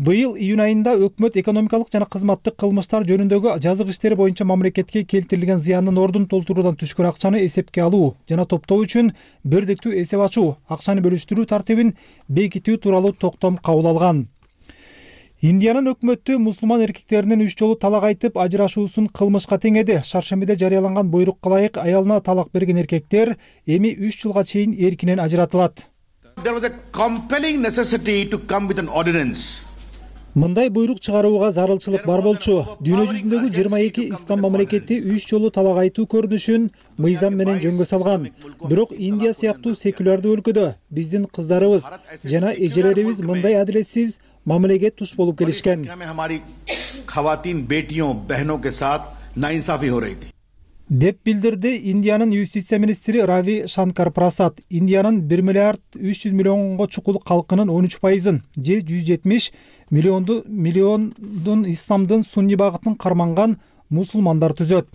Быйыл июнь айында өкмөт экономикалык жана кызматтык кылмыштар жөнүндөгү жазык иштери боюнча мамлекетке келтирилген зыяндын ордун толтуруудан түшкөн акчаны эсепке алуу жана топтоо үчүн бирдиктүү эсеп ачуу, акчаны бөлүштүрүү тартибин бекитүү тууралуу токтом кабыл алган. Индиянын өкмөтү мусулман эркектеринин 3 жолу талак айтып ажырашуусун кылмышка теңеди. Шаршембиде жарыяланган буйрукка ылайык аялына талак берген эркектер эми 3 жылга чейин эркинен ажыратылат. Мындай буйрук чыгарууга зарылчылык бар болчу. Дүйнө жүзүндөгү 22 ислам мамлекети 3 жолу талак айтуу көрүнүшүн мыйзам менен жөнгө салган. Бирок Индия сыяктуу секулярдуу өлкөдө биздин кыздарыбыз жана эжелерибиз мындай адилетсиз мамилеге туш болуп келишкен. Деп билдирди Индиянын юстиция министри Рави Шанкар Прасад. Индиянын 1 миллиард 300 миллионго чукул калкынын 13%, же 170 миллиондун исламдын сунни багытын карманган мусулмандар түзөт.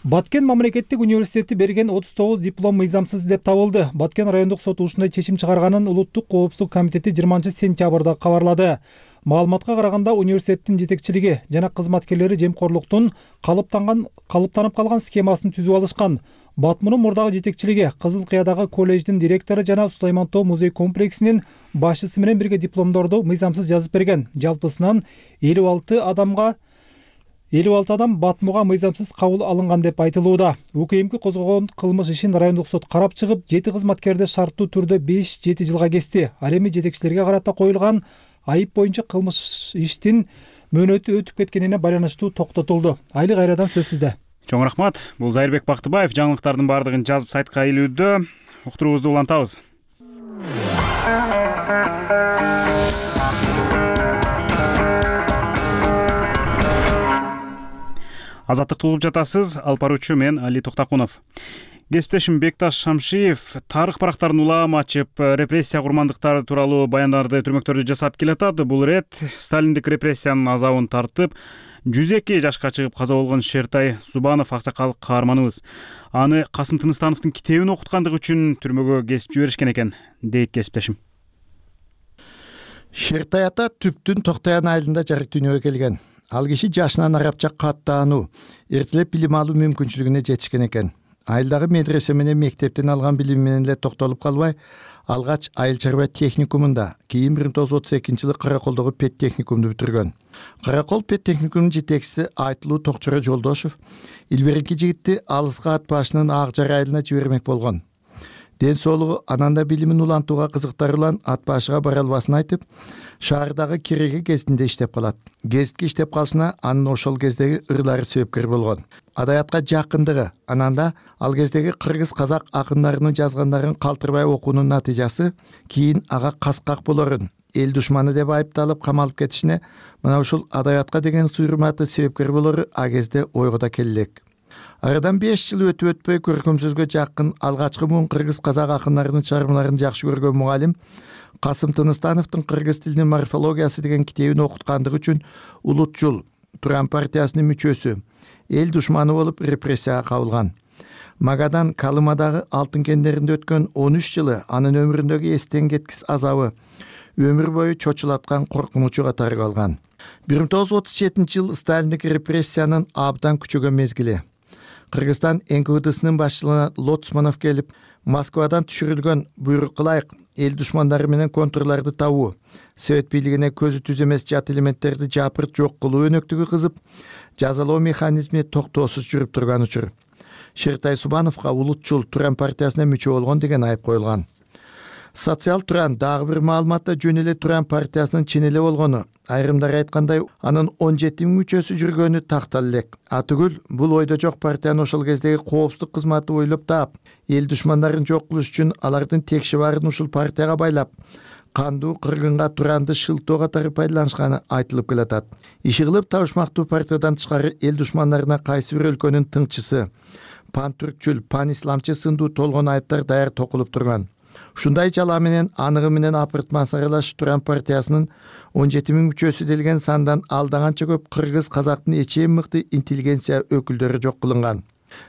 Баткен мамлекеттик университети берген 39 диплом мыйзамсыз деп табылды. Баткен райондук соту ушундай чечим чыгарганын Улуттук коопсуздук комитети 20-сентябрда кабарлады. Маалыматка караганда университеттин жетекчилиги жана кызматкерлери жемкорлуктун калыптанып калган схемасын түзүп алышкан. Батмунун мурдагы жетекчилиги Кызыл Кыядагы колледждин директору жана Сулайман Тоо музей комплексинин башчысы менен бирге дипломдорду мыйзамсыз жазып берген. Жалпысынан 56 адам Батмуга мыйзамсыз кабыл алынган деп айтылууда. УКМК козгогон кылмыш ишин райондук сот карап чыгып, 7 кызматкерди шарттуу түрдө 5-7 жылга кести. Ал эми жетекчилерге карата коюлган айып боюнча кылмыш иштин мөөнөтү өтүп кеткенине байланыштуу токтотулду. Айли кайрадан сөз сизде. Чоң рахмат. Бул Зайырбек Бактыбаев жаңылыктардын баардыгын жазып сайтка илүүдө. Уктуруубузду улантабыз. Азаттыкты угуп жатасыз. Алып баруучу мен Али Токтакунов. Кесиптешим Бекташ Шамшиев тарых барактарын улам ачып, репрессия курмандыктары тууралуу баяндарды, түрмөктөрдү жасап келатат. Бул ирет сталиндик репрессиянын азабын тартып, 102 жашка чыгып каза болгон Шертай Субанов аксакал каарманыбыз. Аны Касым Тыныстановдун китебин окуткандыгы үчүн түрмөгө кесип жиберишкен экен, дейт кесиптешим. Шертай ата Түптүн Токтаян айылында жарык дүйнөгө келген. Ал киши жашынан арабча каттаануу, эртелеп билим алуу мүмкүнчүлүгүнө жетишкен экен. Айылдагы медресе менен мектептен алган билими менен эле токтолуп калбай, алгач айыл чарба техникумунда, кийин 1932-жылы Караколдогу пет техникумду бүтүргөн. Каракол пет техникумунун жетекчиси Айтылуу Токчоро Жолдошов илберинки жигитти алыска ат башынын Ак Жар айылына жибермек болгон. Ден соолугу ананда билимин улантууга кызыктары улан ат башыга бара албасын айтып, шаардагы Кереге гезитинде иштеп калат. Гезитке иштеп калышына анын ошол кездеги ырлары себепкер болгон. Адабиятка жакындыгы, ананда ал кездеги кыргыз-казак акындарынын жазгандарын калтырбай окуунун натыйжасы кийин ага каскак болорун, эл душманы деп айыпталып камалып кетишине мына ушул адабиятка деген суйрматы себепкер болору а кезде ойго да келе элек. Арадан 5 жыл өтүп өтпөй көркөм сөзгө жакын алгачкы муун кыргыз-казак акындарынын чыгармаларын жакшы көргөн мугалим Касым Тыныстановдун кыргыз тилинин морфологиясы деген китебин окуткандыгы үчүн Улутчул Туран партиясынын мүчөсү, эл душманы болуп репрессияга кабылган. Магадан Калымадагы алтын кендеринде өткөн 13 жылы анын өмүрүндөгү эстен кеткис азабы өмүр бою чочулаткан коркунучу катары калган. 1937-жыл Сталиндик репрессиянын абдан күчөгөн мезгили. Кыргызстан НКВДсынын башчылыгына Лоцманов келип, Москвадан түшүрүлгөн буйрукка ылайык эл душмандары менен контурларды табуу, Совет бийлигине көзү түз эмес жат элементтерди жапырт жок кылуу өнөктүгү кызып, жазалоо механизми токтоосуз жүрүп турган учур. Шертай Субановго Улутчул Туран партиясына мүчө болгон деген айып коюлган. Социал Туран дагы бир маалыматта жөн эле Туран партиясынын чен эле болгону, айрымдар айткандай, анын 17 000 мүчөсү жүргөнү тактал элек. Атүгүл бул ойдо жок партиянын ошол кездеги коопсуздук кызматы ойлоп таап, эл душмандарын жок кылыш үчүн алардын текши баарын ушул партияга байлап, кандуу кыргынга Туранды шылтоо катары пайдаланышканы айтылып келатат. Иши кылып табышмактуу партиядан тышкары эл душмандарына кайсы бир өлкөнүн тыңчысы, пантүркчүл, пан-исламчы сындуу толгон айыптар даяр токулуп турган. Ушундай жалаа менен аныгы менен апыртман саралаш Туран партиясынын 17 000 мүчөсү делген сандан алдаганча көп кыргыз-казактын эчең мыкты интеллигенция өкүлдөрү жок кылынган.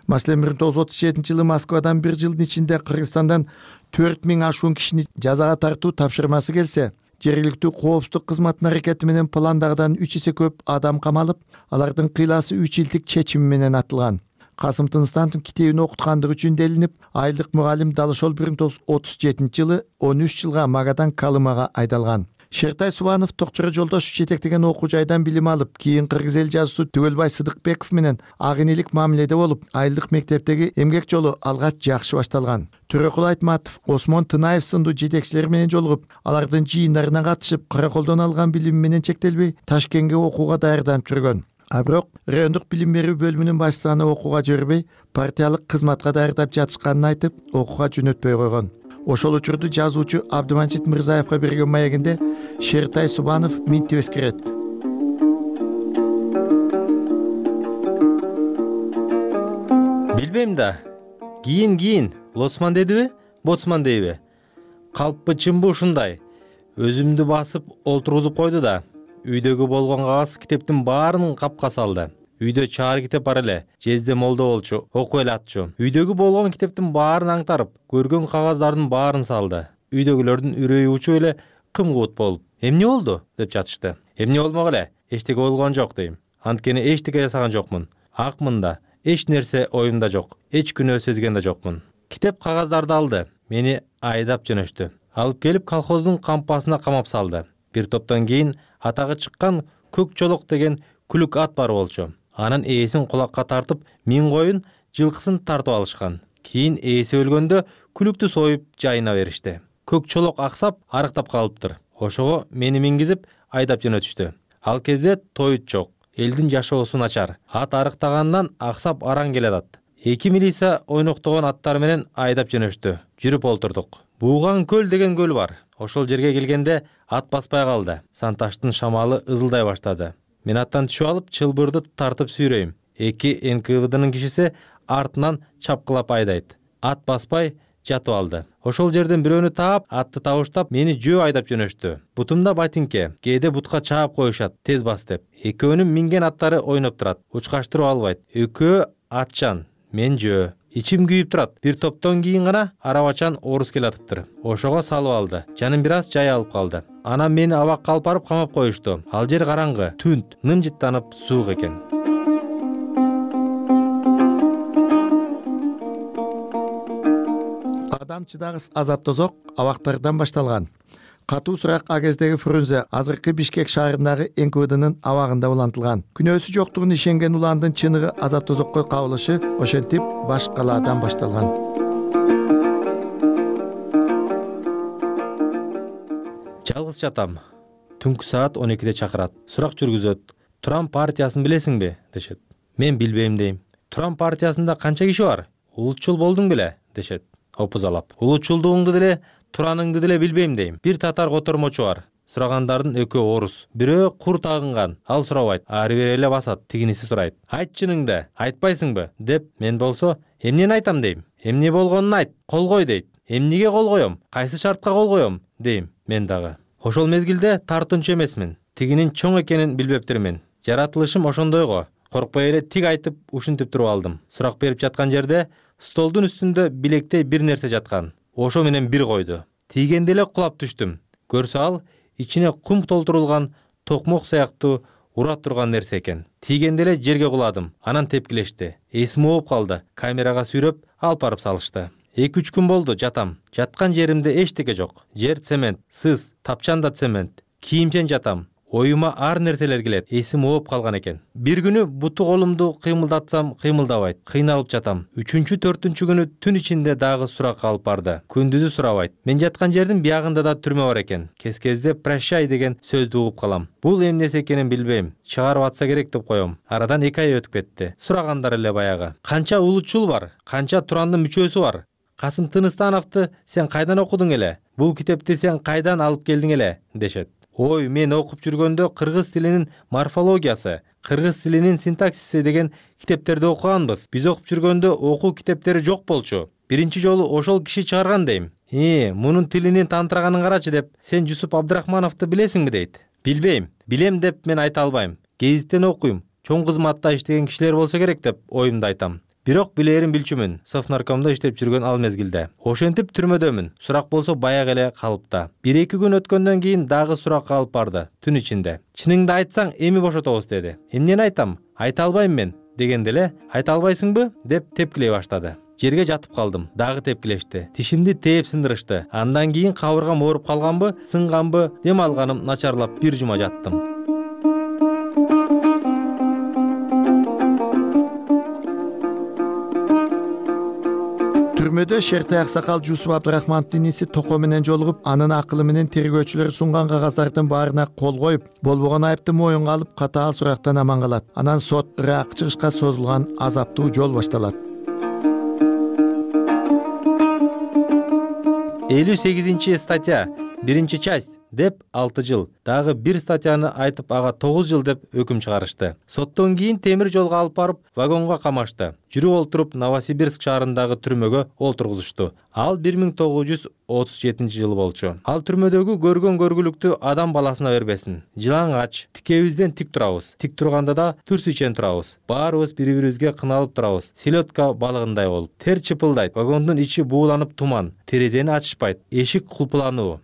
Маселен 1937-жылы Москвадан 1 жылдын ичинде Кыргызстандан 4000 ашуун кишини жазага тартуу тапшырмасы келсе, жергиликтүү коопсуздук кызматынын аракети менен пландагыдан 3 эсе көп адам камалып, алардын кыйласы 3 жылдык чечими менен атылган. Касым Тыныстановдун китебин окуткандыгы үчүн делинип, айылдык мугалим Далышол 1937-жылы 13 жылга Магадан Калымага айдалган. Шертай Субанов Токчора Жолдошев жетектеген окуу жайдан билим алып, кийин кыргыз эл жазуусу Түгөлбай Сыдыкбеков менен ак энелик мамиледе болуп, айылдык мектептеги эмгек жолу алгач жакшы башталган. Төрөкул Айтматов, Осмон Тынаев сындуу жетекчилер менен жолугуп, алардын жыйындарына катышып, караколдон алган билими менен чектелбей, Ташкентке окууга даярданып жүргөн. А бирок райондук билим берүү бөлүмүнүн башчылыгына окууга жибербей, партиялык кызматка даярдап жатышканын айтып, окууга жөнөтпөй койгон. Ошол учурду жазуучу Абдыманжит Мырзаевга берген маегинде Шертай Субанов минтип эскерет. Билбейм да. Кийин лоцман дедиби, боцман дейби? Калппы чынбы ушундай. Өзүмдү басып олтургузуп койду да, үйдөгү болгон кагаз китептин баарын капка салды. Үйдө чаар китеп бар эле, жезде молдо болчу, окуп эле атчу. Үйдөгү болгон китептин баарын аңтарып, көргөн кагаздардын баарын салды. Үйдөгүлөрдүн үрөйү учуп эле кым-кубут болуп, "Эмне болду?" деп жатышты. "Эмне болмок эле, эчтеке болгон жок" дейм. Анткени эчтеке жасаган жокмун. Акмын да, эч нерсе оюмда жок, эч күнөө сезген да жокмун. Китеп кагаздарды алды, мени айдап жөнөштү. Алып келип колхоздун кампасына камап салды. Бир топтон кийин атагы чыккан Көк Чолок деген күлүк ат бар болчу. Анын ээсин кулакка тартып, миң коюн, жылкысын тартып алышкан. Кийин ээси өлгөндө күлүктү союп жайына беришти. Көк Чолок аксап, арыктап калыптыр. Ошого мени мингизип айдап жөнөтүштү. Ал кезде тоют жок, элдин жашоосу начар. Ат арыктагандан аксап араң келатат. 2 милиция ойноктогон аттар менен айдап жөнөштү. Жүрүп олтурдук. Бууган көл деген көл бар. Ошол жерге келгенде ат баспай калды. Санташтын шамалы ызылдай баштады. Мен аттан түшүп алып, чылбырды тартып сүйрөйм. 2 НКВДнын кишиси артынан чапкылап айдайт. Ат баспай жатып алды. Ошол жерден бирөөнү таап, атты табыштап, мени жөө айдап жөнөштү. Бутумда ботинке, кээде бутка чаап коюшат, тез бас деп. Экөөнүн минген аттары ойноп турат, учкаштырып албайт. Экөө атчан, мен жөө. Ичим күйүп турат. Бир топтон кийин гана арабачан орус келатыптыр. Ошого салып алды. Жаным бир аз жай алып калды. Анан мени абакка алып барып камап коюшту. Ал жер караңгы, түнт, нымжыттанып суук экен. Адам чыдагыс азап тозок абактардан башталган. Катуу сурак а кездеги Фрунзе азыркы Бишкек шаарындагы НКВДнын абагында улантылган. Күнөөсү жоктугуна ишенген уландын чыныгы азап тозокко кабылышы ошентип баш калаадан башталган. Жалгыз жатам. Түнкү саат 12-де чакырат. Сурак жүргүзөт. Туран партиясын билесиңби дешет. Мен билбейм дейм. Туран партиясында канча киши бар? Улутчул болдуң беле дешет. Опузалап. Улутчулдугуңду деле, тураныңды деле билбейм дейм. Бир татар котормочу бар. Сурагандардын экөө орус. Бирөө кур тагынган. Ал сурабайт. Ары бери эле басат. Тигиниси сурайт. Айт чыныңды, айтпайсыңбы деп. Мен болсо, эмнени айтам дейм. Эмне болгонун айт, кол кой дейт. Эмнеге кол коем? Кайсы шартка кол коем дейм. Мен дагы. Ошол мезгилде тартынчу эмесмин. Тигинин чоң экенин билбептирмин. Жаратылышым ошондойго. Коркпой эле тиг айтып ушинтип туруп алдым. Сурак берип жаткан жерде столдун үстүндө билектей бир нерсе жаткан. Ошо менен бир койду. Тийгенде эле кулап түштүм. Көрсө ал ичине кум толтурулган токмок сыяктуу ура турган нерсе экен. Тийгенде эле жерге куладым. Анан тепкилешти. Эсим ооп калды. Камерага сүйрөп алып барып салышты. 2-3 күн болду жатам. Жаткан жеримде эчтеке жок. Жер цемент, сыз, тапчан да цемент. Кийимчен жатам. Оюма ар нерселер келет. Эсим ооп калган экен. Бир күнү буту колумду кыймылдатсам кыймылдабайт. Кыйналып жатам. 3-4 күнү түн ичинде дагы сурак алып барды. Күндүзү сурабайт. Мен жаткан жердин биягында да түрмө бар экен. Кез-кезде прощай деген сөздү угуп калам. Бул эмне экенин билбейм. Чыгарып атса керек деп коем. Арадан 2 ай өтүп кетти. Сурагандар эле баягы. Канча улутчул бар? Канча турандын мүчөсү бар? Касым Тыныстановду сен кайдан окудуң эле? Бул китепти сен кайдан алып келдиң эле? Дешет. Ой, мен окуп жүргөндө кыргыз тилинин морфологиясы, кыргыз тилинин синтаксиси деген китептерди окуганбыз. Биз окуп жүргөндө окуу китептери жок болчу. Биринчи жолу ошол киши чыгарган дейм. Мунун тилинин тантыраганын карачы деп, сен Жусуп Абдрахмановду билесиңби дейт. Билбейм. Билем деп мен айта албайм. Гезиттен окуйм. Чоң кызматта иштеген кишилер болсо керек деп оюмду айтам. Бирок билерин билчүмүн. Совнаркомдо иштеп жүргөн ал мезгилде. Ошентип түрмөдөмүн. Сурак болсо баягы эле калыпта. 1-2 күн өткөндөн кийин дагы суракка алып барды. Түн ичинде. Чыныңды айтсаң эми бошотобуз деди. Эмнени айтам? Айта албайм мен дегенде эле, айта албайсыңбы деп тепкилей баштады. жерге жатып калдым. Дагы тепкилешти. Тишимди тээп сындырышты. Андан кийин кабыргам ооруп калганбы, сынганбы, дем алганым начарлап бир жума жаттым. Түрмөдө Шертай аксакал Жусуп Абдырахмановдун иниси Токо менен жолугуп, анын акылы менен тергөөчүлөр сунган кагаздардын баарына кол коюп, болбогон айыпты моюнга алып, катаал сурактан аман калат. Анан сот ырак чыгышка созулган азаптуу жол башталат. 58 статья, 1 часть деп 6 жыл, дагы бир статьяны айтып ага 9 жыл деп өкүм чыгарышты. Соттон кийин темир жолго алып барып, вагонго камашты. Жүрүп олтуруп Новосибирск шаарындагы түрмөгө олтургузушту. Ал 1937 жылы болчу. Ал түрмөдөгү көргөн көргүлүктү адам баласына бербесин. Жылаңач, тикебизден тик турабыз. Тик турганда да турс ичен турабыз. Баарыбыз бири-бирибизге кыналып турабыз. Селедка балыгындай болуп. Тер чыпылдайт. Вагондун ичи бууланып туман. Терезени ачышпайт. Эшик кулпулануу.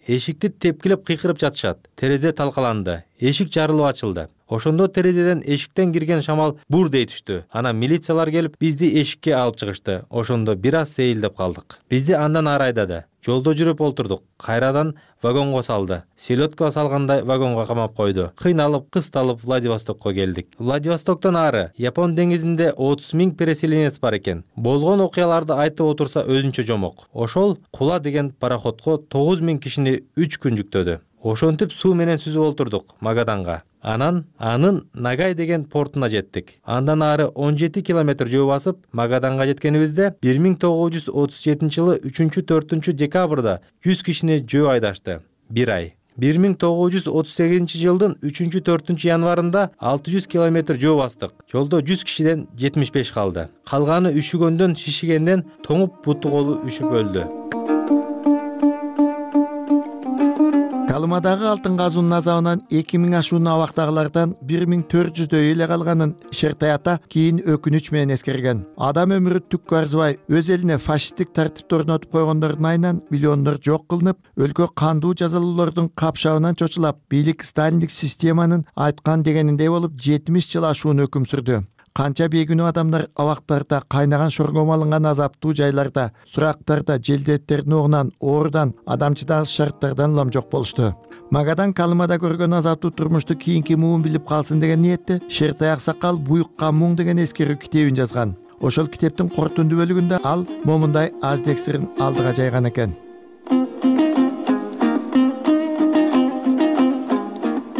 Эшикти тепкилеп кыйкырып жатышат. Терезе талкаланды. Эшик жарылып ачылды. Ошондо терезеден эшиктен кирген шамал бур дей түштү. Анан милициялар келип, бизди эшикке алып чыгышты. Ошондо бир аз сейилдеп калдык. Бизди андан ары айдады. Жолдо жүрүп олтурдук. Кайрадан вагонго салды. Селедка салгандай вагонго камап койду. Кыйналып, кысталып Владивостокко келдик. Владивостоктон ары Япон деңизинде 30 000 переселенец бар экен. Болгон окуяларды айтып отурса өзүнчө жомок. Ошол Кула деген пароходко 9 000 кишини 3 күн жүктөдү. Ошентип суу менен сүзүп олтурдук Магаданга. Анан анын Нагай деген портуна жеттик. Андан ары 17 километр жөө басып Магаданга жеткенибизде 1937 жылы 3-4 декабрда 100 кишини жөө айдашты. Бир ай. 1938 жылдын 3-4 январында 600 километр жөө бастык. Жолдо 100 кишиден 75 калды. Калганы үшүгөндөн, шишигенден, тоңуп буту колу үшүп өлдү. Калымадагы алтын казуунун азабынан 2000 ашуун абактагылардан 1400дөй эле калганын Шертай ата кийин өкүнүч менен эскерген. Адам өмүрү түккө арзыбай, өз элине фашисттик тартипти орнотуп койгондордун айынан миллиондор жок кылынып, өлкө кандуу жазалоолордун капшабынан чочулап, бийлик сталиндик системанын айткан дегениндей болуп 70 жыл ашуун өкүм сүрдү. Канча бейгүнөө адамдар абактарда, кайнаган шоргом алынган азаптуу жайларда, сурактарда, желдеттердин огунан, оорудан, адамчыдагыс шарттардан улам жок болушту. Магадан Калымада көргөн азаптуу турмушту кийинки муун билип калсын деген ниетте Шертай аксакал Буюкка муң деген эскерүү китебин жазган. Ошол китептин кортундуу бөлүгүндө ал момундай аз тексттерин алдыга жайган экен.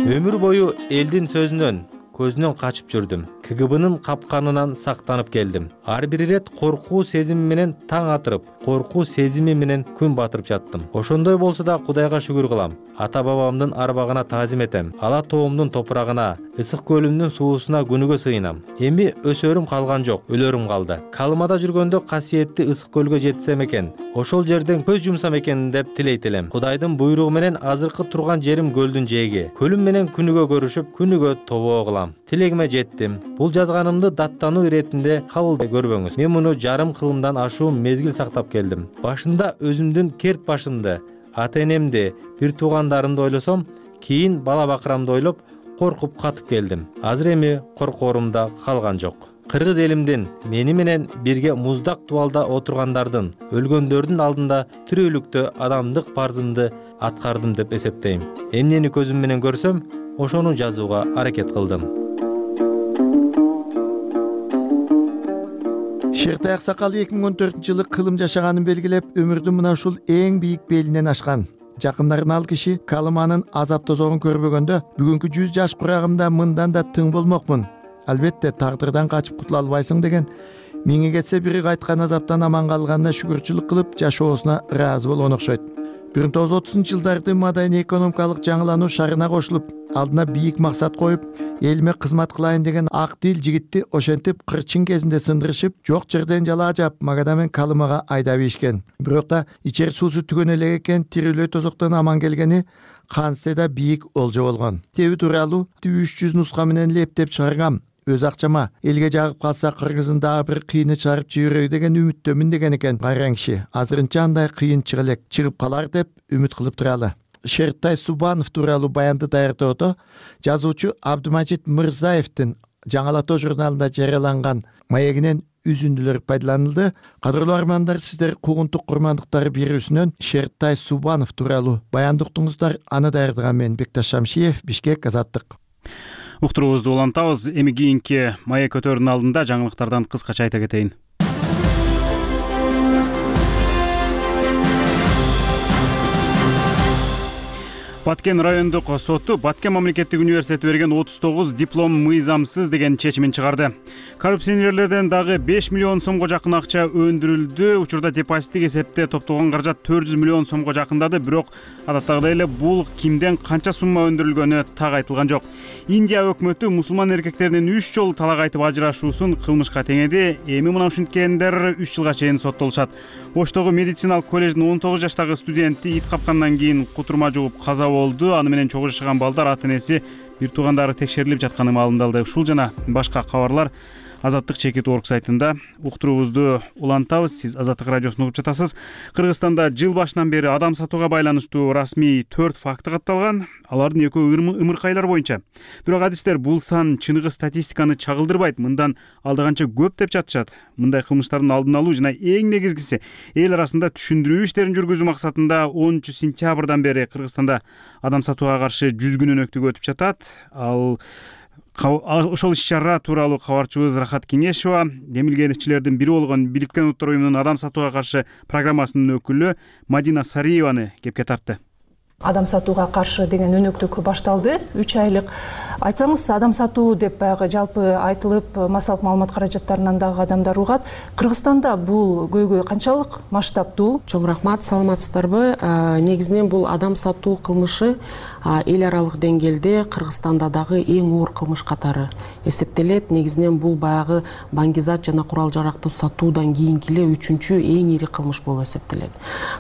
Өмүр бою элдин сөзүнөн, көзүнөн качып жүрдүм. КГБнын капканынан сактанып келдим. Ар бир ирет коркуу сезими менен таң атырып, коркуу сезими менен күн батырып жаттым. Ошондой болсо да Кудайга шүгүр кылам. Ата бабамдын арбагына таазим этем. Ала тоомдун топурагына, ысык көлүмдүн суусуна күнүгө сыйынам. Эми өсөрүм калган жок, өлөрүм калды. Калымада жүргөндө касиетти ысык көлгө жетсем экен, ошол жерден көз жумсам экен деп тилейт элем. Кудайдын буйругу менен азыркы турган жерим көлдүн жээги. Көлүм менен күнүгө көрүшүп, күнүгө тобоо кылам. Тилегиме жеттим. Бул жазганымды даттануу иретинде кабылдай көрбөңүз. Мен муну жарым кылымдан ашуун мезгил сактап келдим. Башында өзүмдүн керт башымды, ата-энемди, бир туугандарымды ойлосом, кийин бала бакырамды ойлоп, коркуп катып келдим. Азыр эми коркоорум да калган жок. Кыргыз элимдин, мени менен бирге муздак дубалда отургандардын, өлгөндөрдүн алдында тирүүлүктө адамдык парзымды аткардым деп эсептейм. Эмнени көзүм менен көрсөм, ошону жазууга аракет кылдым. Шертай аксакал 2014 жылы кылым жашаганын белгилеп, өмүрдүн мына ушул эң бийик белинен ашкан. Жакындарын ал киши Калыманын азап тозогун көрбөгөндө, бүгүнкү 100 жаш курагымда мындан да тың болмокмун. Албетте тагдырдан качып кутула албайсың деген миңи кетсе бири кайткан азаптан аман калганына шүгүрчүлүк кылып жашоосуна ыраазы болгон окшойт. 1930-жылдарды маданий экономикалык жаңылануу шарына кошулуп, алдына бийик максат коюп, элиме кызмат кылайын деген ак дил жигитти ошентип кырчын кезинде сындырышып, жок жерден жалаа жап Магада мен Калымага айдап ийишкен. Бирок да ичер суусу түгөн элек экен, тирүүлөй тозоктон аман келгени кантсе да бийик олжо болгон. Китеби тууралуу 300 нуска менен эле эптеп чыгаргам. Өз акчама элге жагып калса кыргыздын дагы бир кыйыны чыгарып жиберөй деген үмүттөмүн деген экен кайран киши. Азырынча андай кыйын чыга элек, чыгып калар деп үмүт кылып туралы. Шертай Субанов тууралуу баянды даярдоодо жазуучу Абдымажит Мырзаевдин Жаңы ала тоо журналында жарыяланган маегинен үзүндүлөр пайдаланылды. Кадырлуу армандар, сиздер куугунтук курмандыктары бирүүсүнөн Шертай Субанов тууралуу баянды уктуңуздар. Аны даярдаган мен Бекташ Шамшиев, Бишкек, Азаттык. Уктуруубузду улантабыз. Эми кийинки маек өтөрүнүн алдында жаңылыктардан кыскача айта кетейин. Баткен райондук соту Баткен мамлекеттик университети берген 39 диплом мыйзамсыз деген чечимин чыгарды. Коррупционерлерден дагы 5 миллион сомго жакын акча өндүрүлдү. Учурда депозиттик эсепте топтолгон каражат 400 миллион сомго жакындады, бирок адаттагыдай эле бул кимден канча сумма өндүрүлгөнү так айтылган жок. Индия өкмөтү мусулман эркектеринин 3 жолу талак айтып ажырашуусун кылмышка теңеди. Эми мына ушинткендер 3 жылга чейин соттолушат. Оштогу медициналык коллеждин 19 жаштагы студенти ит капкандан кийин кутурма жугуп каза болду. Аны менен чогуу жашаган балдар ата-энеси, бир туугандары текшерилип жатканы маалымдалды. Ушул жана башка кабарлар Азаттык чекит.org сайтында. Уктуруубузду улантабыз. Сиз Азаттык радиосун угуп жатасыз. Кыргызстанда жыл башынан бери адам сатууга байланыштуу расмий 4 факты катталган. Алардын экөө ымыркайлар боюнча. Бирок адистер бул сан чыныгы статистиканы чагылдырбайт. Мындан алда канча көп деп жатышат. Мындай кылмыштардын алдын алуу жана эң негизгиси эл арасында түшүндүрүү иштерин жүргүзүү максатында 10 сентябрдан бери Кыргызстанда адам сатууга каршы 100 күнүнөктүк өтүп жатат. Ошол иш-чара тууралуу кабарчыбыз Рахат Кеңешова демилгенчилердин бири болгон Бириккен Улуттар уюмунун адам сатууга каршы программасынын өкүлү Мадина Сариеваны кепке тартты. Адам сатууга каршы деген өнөктүк башталды. 3 айлык. Айтсаңыз, адам сатуу деп баягы жалпы айтылып, массалык маалымат каражаттарынан дагы адамдар угат. Кыргызстанда бул көйгөй канчалык масштабдуу? Чоң рахмат, саламатсыздарбы? Негизинен бул адам сатуу кылмышы эл аралык деңгээлде Кыргызстанда дагы эң оор кылмыш катары эсептелет. Негизинен бул баягы баңгизат жана курал жаракты сатуудан кийинки эле 3-чү эң ири кылмыш болуп эсептелет.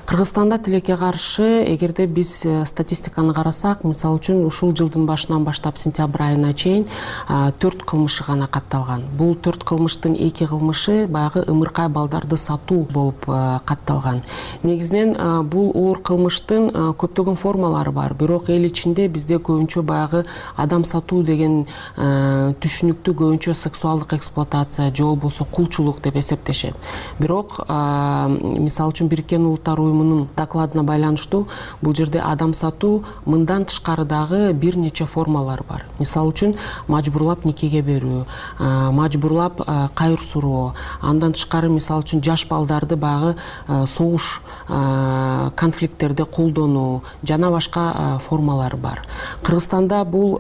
Кыргызстанда тилекке каршы, эгерде биз статистиканы карасак, мисалы үчүн ушул жылдын башынан баштап сентябрь айына чейин 4 кылмышы гана катталган. Бул 4 кылмыштын 2 кылмышы баягы ымыркай балдарды сатуу болуп катталган. Негизинен бул оор кылмыштын көптөгөн формалары бар, бирок эл ичинде бизде көбүнчө баягы адам сатуу деген түшүнүктү көбүнчө сексуалдык эксплуатация же болбосо кулчулук деп эсептешет. Бирок мисалы үчүн Бириккен Улуттар уюмунун докладына байланыштуу бул жерде адам сатуу мындан тышкары дагы бир нече формалар бар. Мисалы үчүн мажбурлап никеге берүү, мажбурлап кайыр суроо, андан тышкары мисалы үчүн жаш балдарды баягы согуш конфликттерде колдонуу жана башка формалар бар. Кыргызстанда бул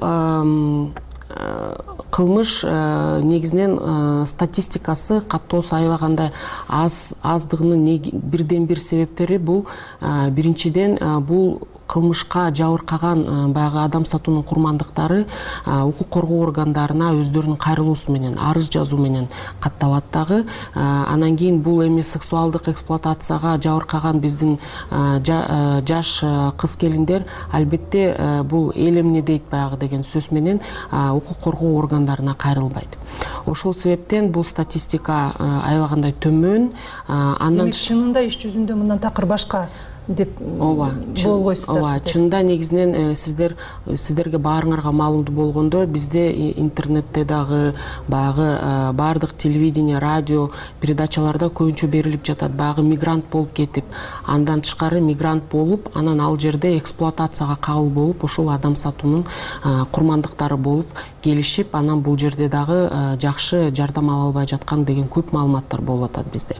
кылмыш негизинен статистикасы каттоосу аябагандай аздыгынын бирден бир себептери бул биринчиден бул кылмышка жабыркаган баягы адам сатуунун курмандыктары укук коргоо органдарына өздөрүнүн кайрылуусу менен, арыз жазуу менен катталат дагы. Анан кийин бул эми сексуалдык эксплуатацияга жабыркаган биздин жаш кыз келиндер албетте бул эл эмне дейт баягы деген сөз менен укук коргоо органдарына кайрылбайт. Ошол себептен бул статистика аябагандай төмөн. Демек чынында иш жүзүндө мындан такыр башка деп болгойсуздар. Ооба, чынында негизинен сиздерге баарыңарга маалымдуу болгондо бизде интернетте дагы баягы баардык телевидение, радио передачаларда көбүнчө берилип жатат. Баягы мигрант болуп кетип, андан тышкары мигрант болуп, анан ал жерде эксплуатацияга кабыл болуп, ошол адам сатуунун курмандыктары болуп келишип, анан бул жерде дагы жакшы жардам ала албай жаткан деген көп маалыматтар болуп атат бизде.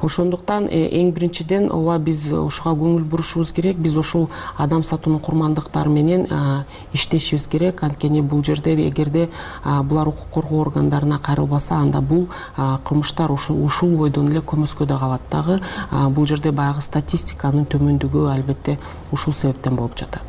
Ошондуктан эң биринчиден ооба биз ушуга көңүл бурушубуз керек. Биз ушул адам сатуунун курмандыктары менен иштешибиз керек. Анткени бул жерде эгерде булар укук коргоо органдарына кайрылбаса, анда бул кылмыштар ушул бойдон эле көмөскөдө калат дагы. Бул жерде баягы статистиканын төмөндүгү албетте ушул себептен болуп жатат.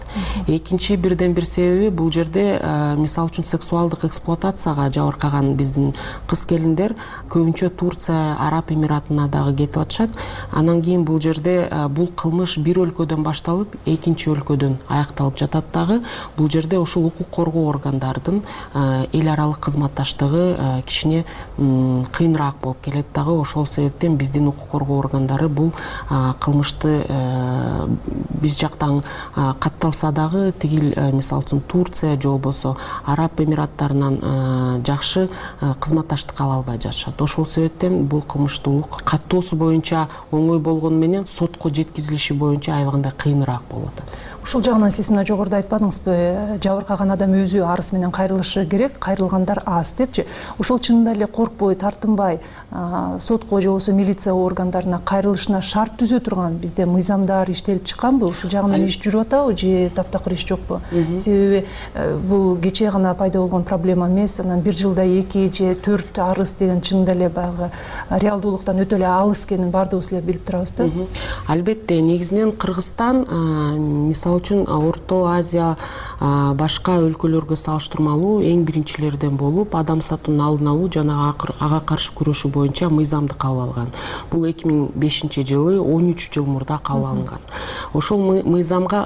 Экинчи бирден бир себеби бул жерде мисалы үчүн сексуалдык эксплуатацияга жабыркаган биздин кыз келиндер көбүнчө Турция, Араб Эмиратына дагы кетип атышат. Анан кийин бул жерде бул кылмыш кылмыш бир өлкөдөн башталып экинчи өлкөдөн аякталып жатат дагы. Бул жерде ушул укук коргоо органдардын эл аралык кызматташтыгы кичине кыйыныраак болуп келет дагы. Ошол себептен биздин укук коргоо органдары бул кылмышты биз жактан катталса дагы тигил мисалы үчүн Турция же болбосо Араб Эмираттарынан жакшы кызматташтык ала албай жатышат. Ошол себептен бул кылмыштуулук каттоосу боюнча оңой болгону менен сотко жеткизилиши боюнча аябагандай кыйыныраак болуп атат. Ушул жагынан сиз мына жогоруда айтпадыңызбы, жабыркаган адам өзү арыз менен кайрылышы керек, кайрылгандар аз депчи. Ошол чынында эле коркпой, тартынбай сотко же болбосо милиция органдарына кайрылышына шарт түзө турган бизде мыйзамдар иштелип чыкканбы? Ушул жагынан иш жүрүп атабы же таптакыр иш жокпу? Себеби бул кечээ гана пайда болгон проблема эмес, анан бир жылда 2 же 4 арыз деген чынында эле баягы реалдуулуктан өтө эле алыс экенин баардыгыбыз эле билип турабыз да. Албетте, негизинен Кыргызстан мисалы үчүн Орто Азия башка өлкөлөргө салыштырмалуу эң биринчилерден болуп, адам сатуунун алдын алуу жана ага каршы күрөшүү боюнча мыйзамды кабыл алган. Бул 2005-жылы 13 жыл мурда кабыл алынган. Ошол мыйзамга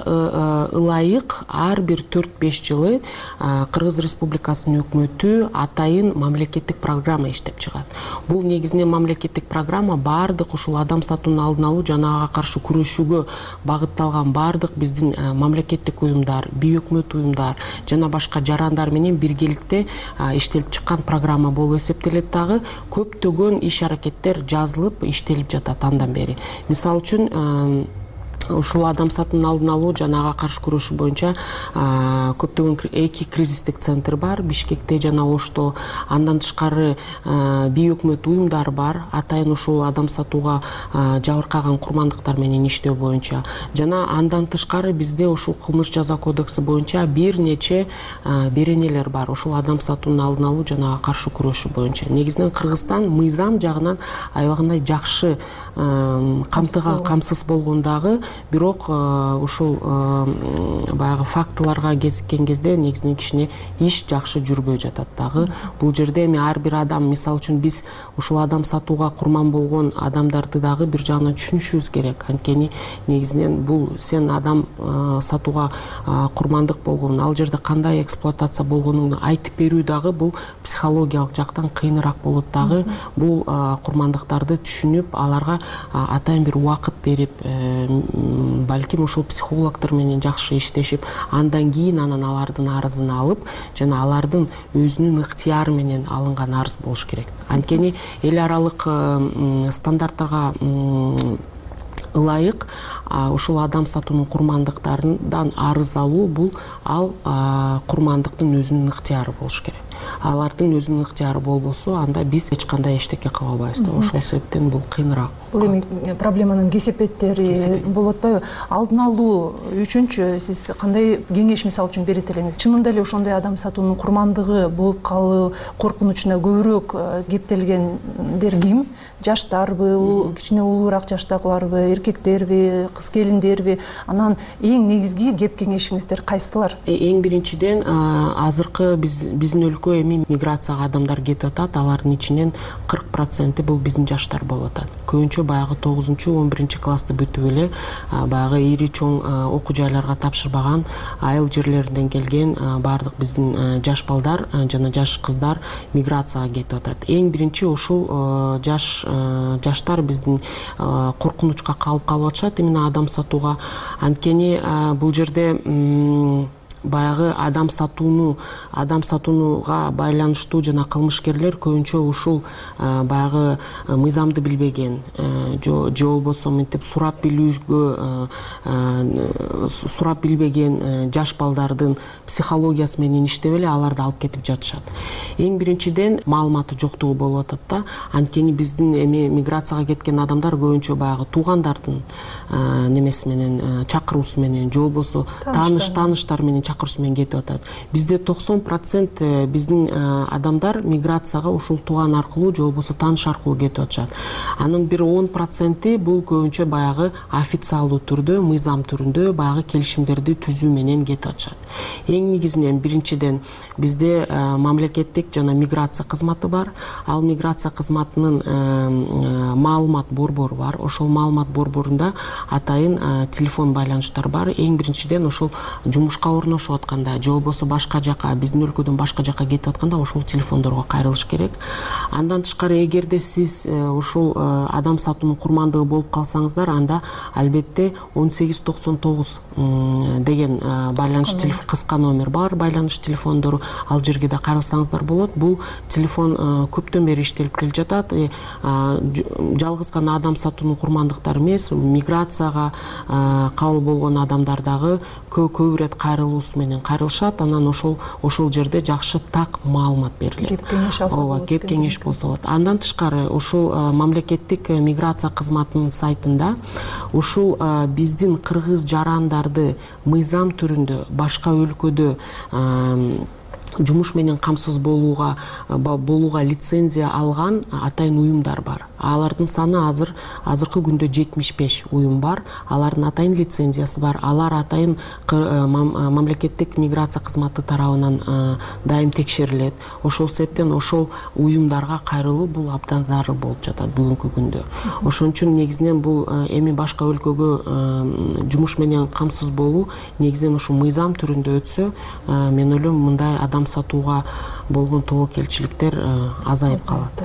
ылайык ар бир 4-5 жылы Кыргыз Республикасынын өкмөтү атайын мамлекеттик программа иштеп чыгат. Бул негизинен мамлекеттик программа баардык ушул адам сатуунун алдын алуу жана ага каршы күрөшүүгө багытталган баардык биздин мамлекеттик уюмдар, бейөкмөт уюмдар жана башка жарандар менен биргеликте иштелип чыккан программа болуп эсептелет дагы. Көптөгөн иш-аракеттер жазылып, иштелип жатат андан бери. Мисалы үчүн ушул адам сатуунун алдын алуу жана ага каршы күрөшүү боюнча көптөгөн 2 кризистик центр бар Бишкекте жана Ошто. Андан тышкары бейөкмөт уюмдар бар, атайын ушул адам сатууга жабыркаган курмандыктар менен иштөө боюнча. Жана андан тышкары бизде ушул кылмыш жаза кодекси боюнча бир нече беренелер бар ушул адам сатуунун алдын алуу жана ага каршы күрөшүү боюнча. Негизинен Кыргызстан мыйзам жагынан аябагандай жакшы камсыз болгондагы, бирок ушул баягы фактыларга кезиккен кезде негизинен кичине иш жакшы жүрбөй жатат дагы. Бул жерде эми ар бир адам, мисалы үчүн биз ушул адам сатууга курман болгон адамдарды дагы бир жагынан түшүнүшүбүз керек. Анткени негизинен бул сен адам сатууга курмандык болгонун, ал жерде кандай эксплуатация болгонуңду айтып берүү дагы бул психологиялык жактан кыйыныраак болот дагы. Бул курмандыктарды түшүнүп, аларга атайын бир убакыт берип, балким ушул психологдор менен жакшы иштешип, андан кийин алардын арызын алып, жана алардын өзүнүн ыктыяры менен алынган арыз болуш керек. Анткени эл аралык стандарттарга ылайык ушул адам сатуунун курмандыктарынан арыз алуу бул курмандыктын өзүнүн ыктыяры болуш керек. Алардын өзүнүн ыктыяры болбосо, анда биз эч кандай эчтеке кыла албайбыз да. Ошол себептен бул кыйыныраак. Бул эми проблеманын кесепеттери болуп атпайбы? Алдын алуу үчүнчү сиз кандай кеңеш мисалы үчүн берет элеңиз? Чынында эле ошондой адам сатуунун курмандыгы болуп калуу коркунучуна көбүрөөк кептелгендер ким? Жаштарбы, кичине улуураак жаштагыларбы, эркектерби, кыз келиндерби? Анан эң негизги кеп кеңешиңиздер кайсылар? Эң биринчиден азыркы биздин өлкө эми миграцияга адамдар кетип атат. Алардын ичинен 40% бул биздин жаштар болуп атат. Көбүнчө баягы 9-11 классты бүтүп эле баягы ири чоң окуу жайларга тапшырбаган айыл жерлеринен келген баардык биздин жаш балдар жана жаш кыздар миграцияга кетип атат. Эң биринчи ушул жаштар биздин коркунучка калып атышат именно адам сатууга. Анткени бул жерде баягы адам сатууга байланыштуу жана кылмышкерлер көбүнчө ушул баягы мыйзамды билбеген же болбосо мынтип сурап билбеген жаш балдардын психологиясы менен иштеп эле аларды алып кетип жатышат. Эң биринчиден маалыматы жоктугу болуп атат да. Анткени биздин эми миграцияга кеткен адамдар көбүнчө баягы туугандардын немеси менен, чакыруусу менен же болбосо тааныштар менен чакыруусу менен кетип атат. Бизде 90% биздин адамдар миграцияга ушул тууган аркылуу же болбосо тааныш аркылуу кетип атышат. Анын бир 10% бул көбүнчө баягы официалдуу түрдө, мыйзам түрүндө баягы келишимдерди түзүү менен кетип атышат. Эң негизинен биринчиден бизде мамлекеттик жана миграция кызматы бар. Ал миграция кызматынын маалымат борбору бар. Ошол маалымат борборунда атайын телефон байланыштар бар. Эң биринчиден ошол жумушка орношуп атканда же болбосо башка жака, биздин өлкөдөн башка жака кетип атканда ошол телефондорго кайрылыш керек. Андан тышкары эгерде сиз ушул адам сатуунун курмандыгы болуп калсаңыздар, анда албетте 1899 деген байланыш телефон, кыска номер бар, байланыш телефондору, ал жерге да кайрылсаңыздар болот. Бул телефон көптөн бери иштелип келе жатат. Жалгыз гана адам сатуунун курмандыктары эмес, миграцияга кабыл болгон адамдар дагы көп ирет кайрылуусу менен кайрылышат. Анан ошол жерде жакшы так маалымат берилет. Кеп кеңеш алса болот. Кеп кеңеш болсо болот. Андан тышкары ушул мамлекеттик миграция кызматынын сайтында ушул биздин кыргыз жарандарды мыйзам түрүндө башка өлкөдө жумуш менен камсыз болууга лицензия алган атайын уюмдар бар. Алардын саны азыркы күндө 75 уюм бар. Алардын атайын лицензиясы бар. Алар атайын мамлекеттик миграция кызматы тарабынан дайым текшерилет. Ошол себептен ошол уюмдарга кайрылуу бул абдан зарыл болуп жатат бүгүнкү күндө. Ошон үчүн негизинен бул эми башка өлкөгө жумуш менен камсыз болуу негизинен ушул мыйзам түрүндө өтсө, мен ойлойм мындай адам сатууга болгон тобокелчиликтер азайып калат.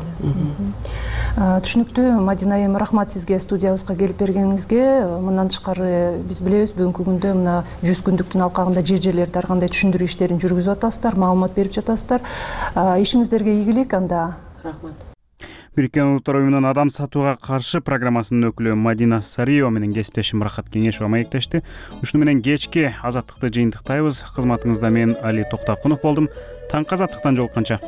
Түшүнүктүү. Мадина айым, рахмат сизге студиябызга келип бергениңизге. Мындан тышкары биз билебиз, бүгүнкү күндө мына 100 күндүктүн алкагында жер-жерлерде ар кандай түшүндүрүү иштерин жүргүзүп атасыздар, маалымат берип жатасыздар. Ишиңиздерге ийгилик анда. Рахмат. Бириккен Улуттар уюмунун адам сатууга каршы программасынын өкүлү Мадина Сариева менен кесиптешим Рахат Кеңешова маектешти. Ушуну менен кечки азаттыкты жыйынтыктайбыз. Кызматыңызда мен Али Токтокунов болдум. Таңкы азаттыктан жолукканча.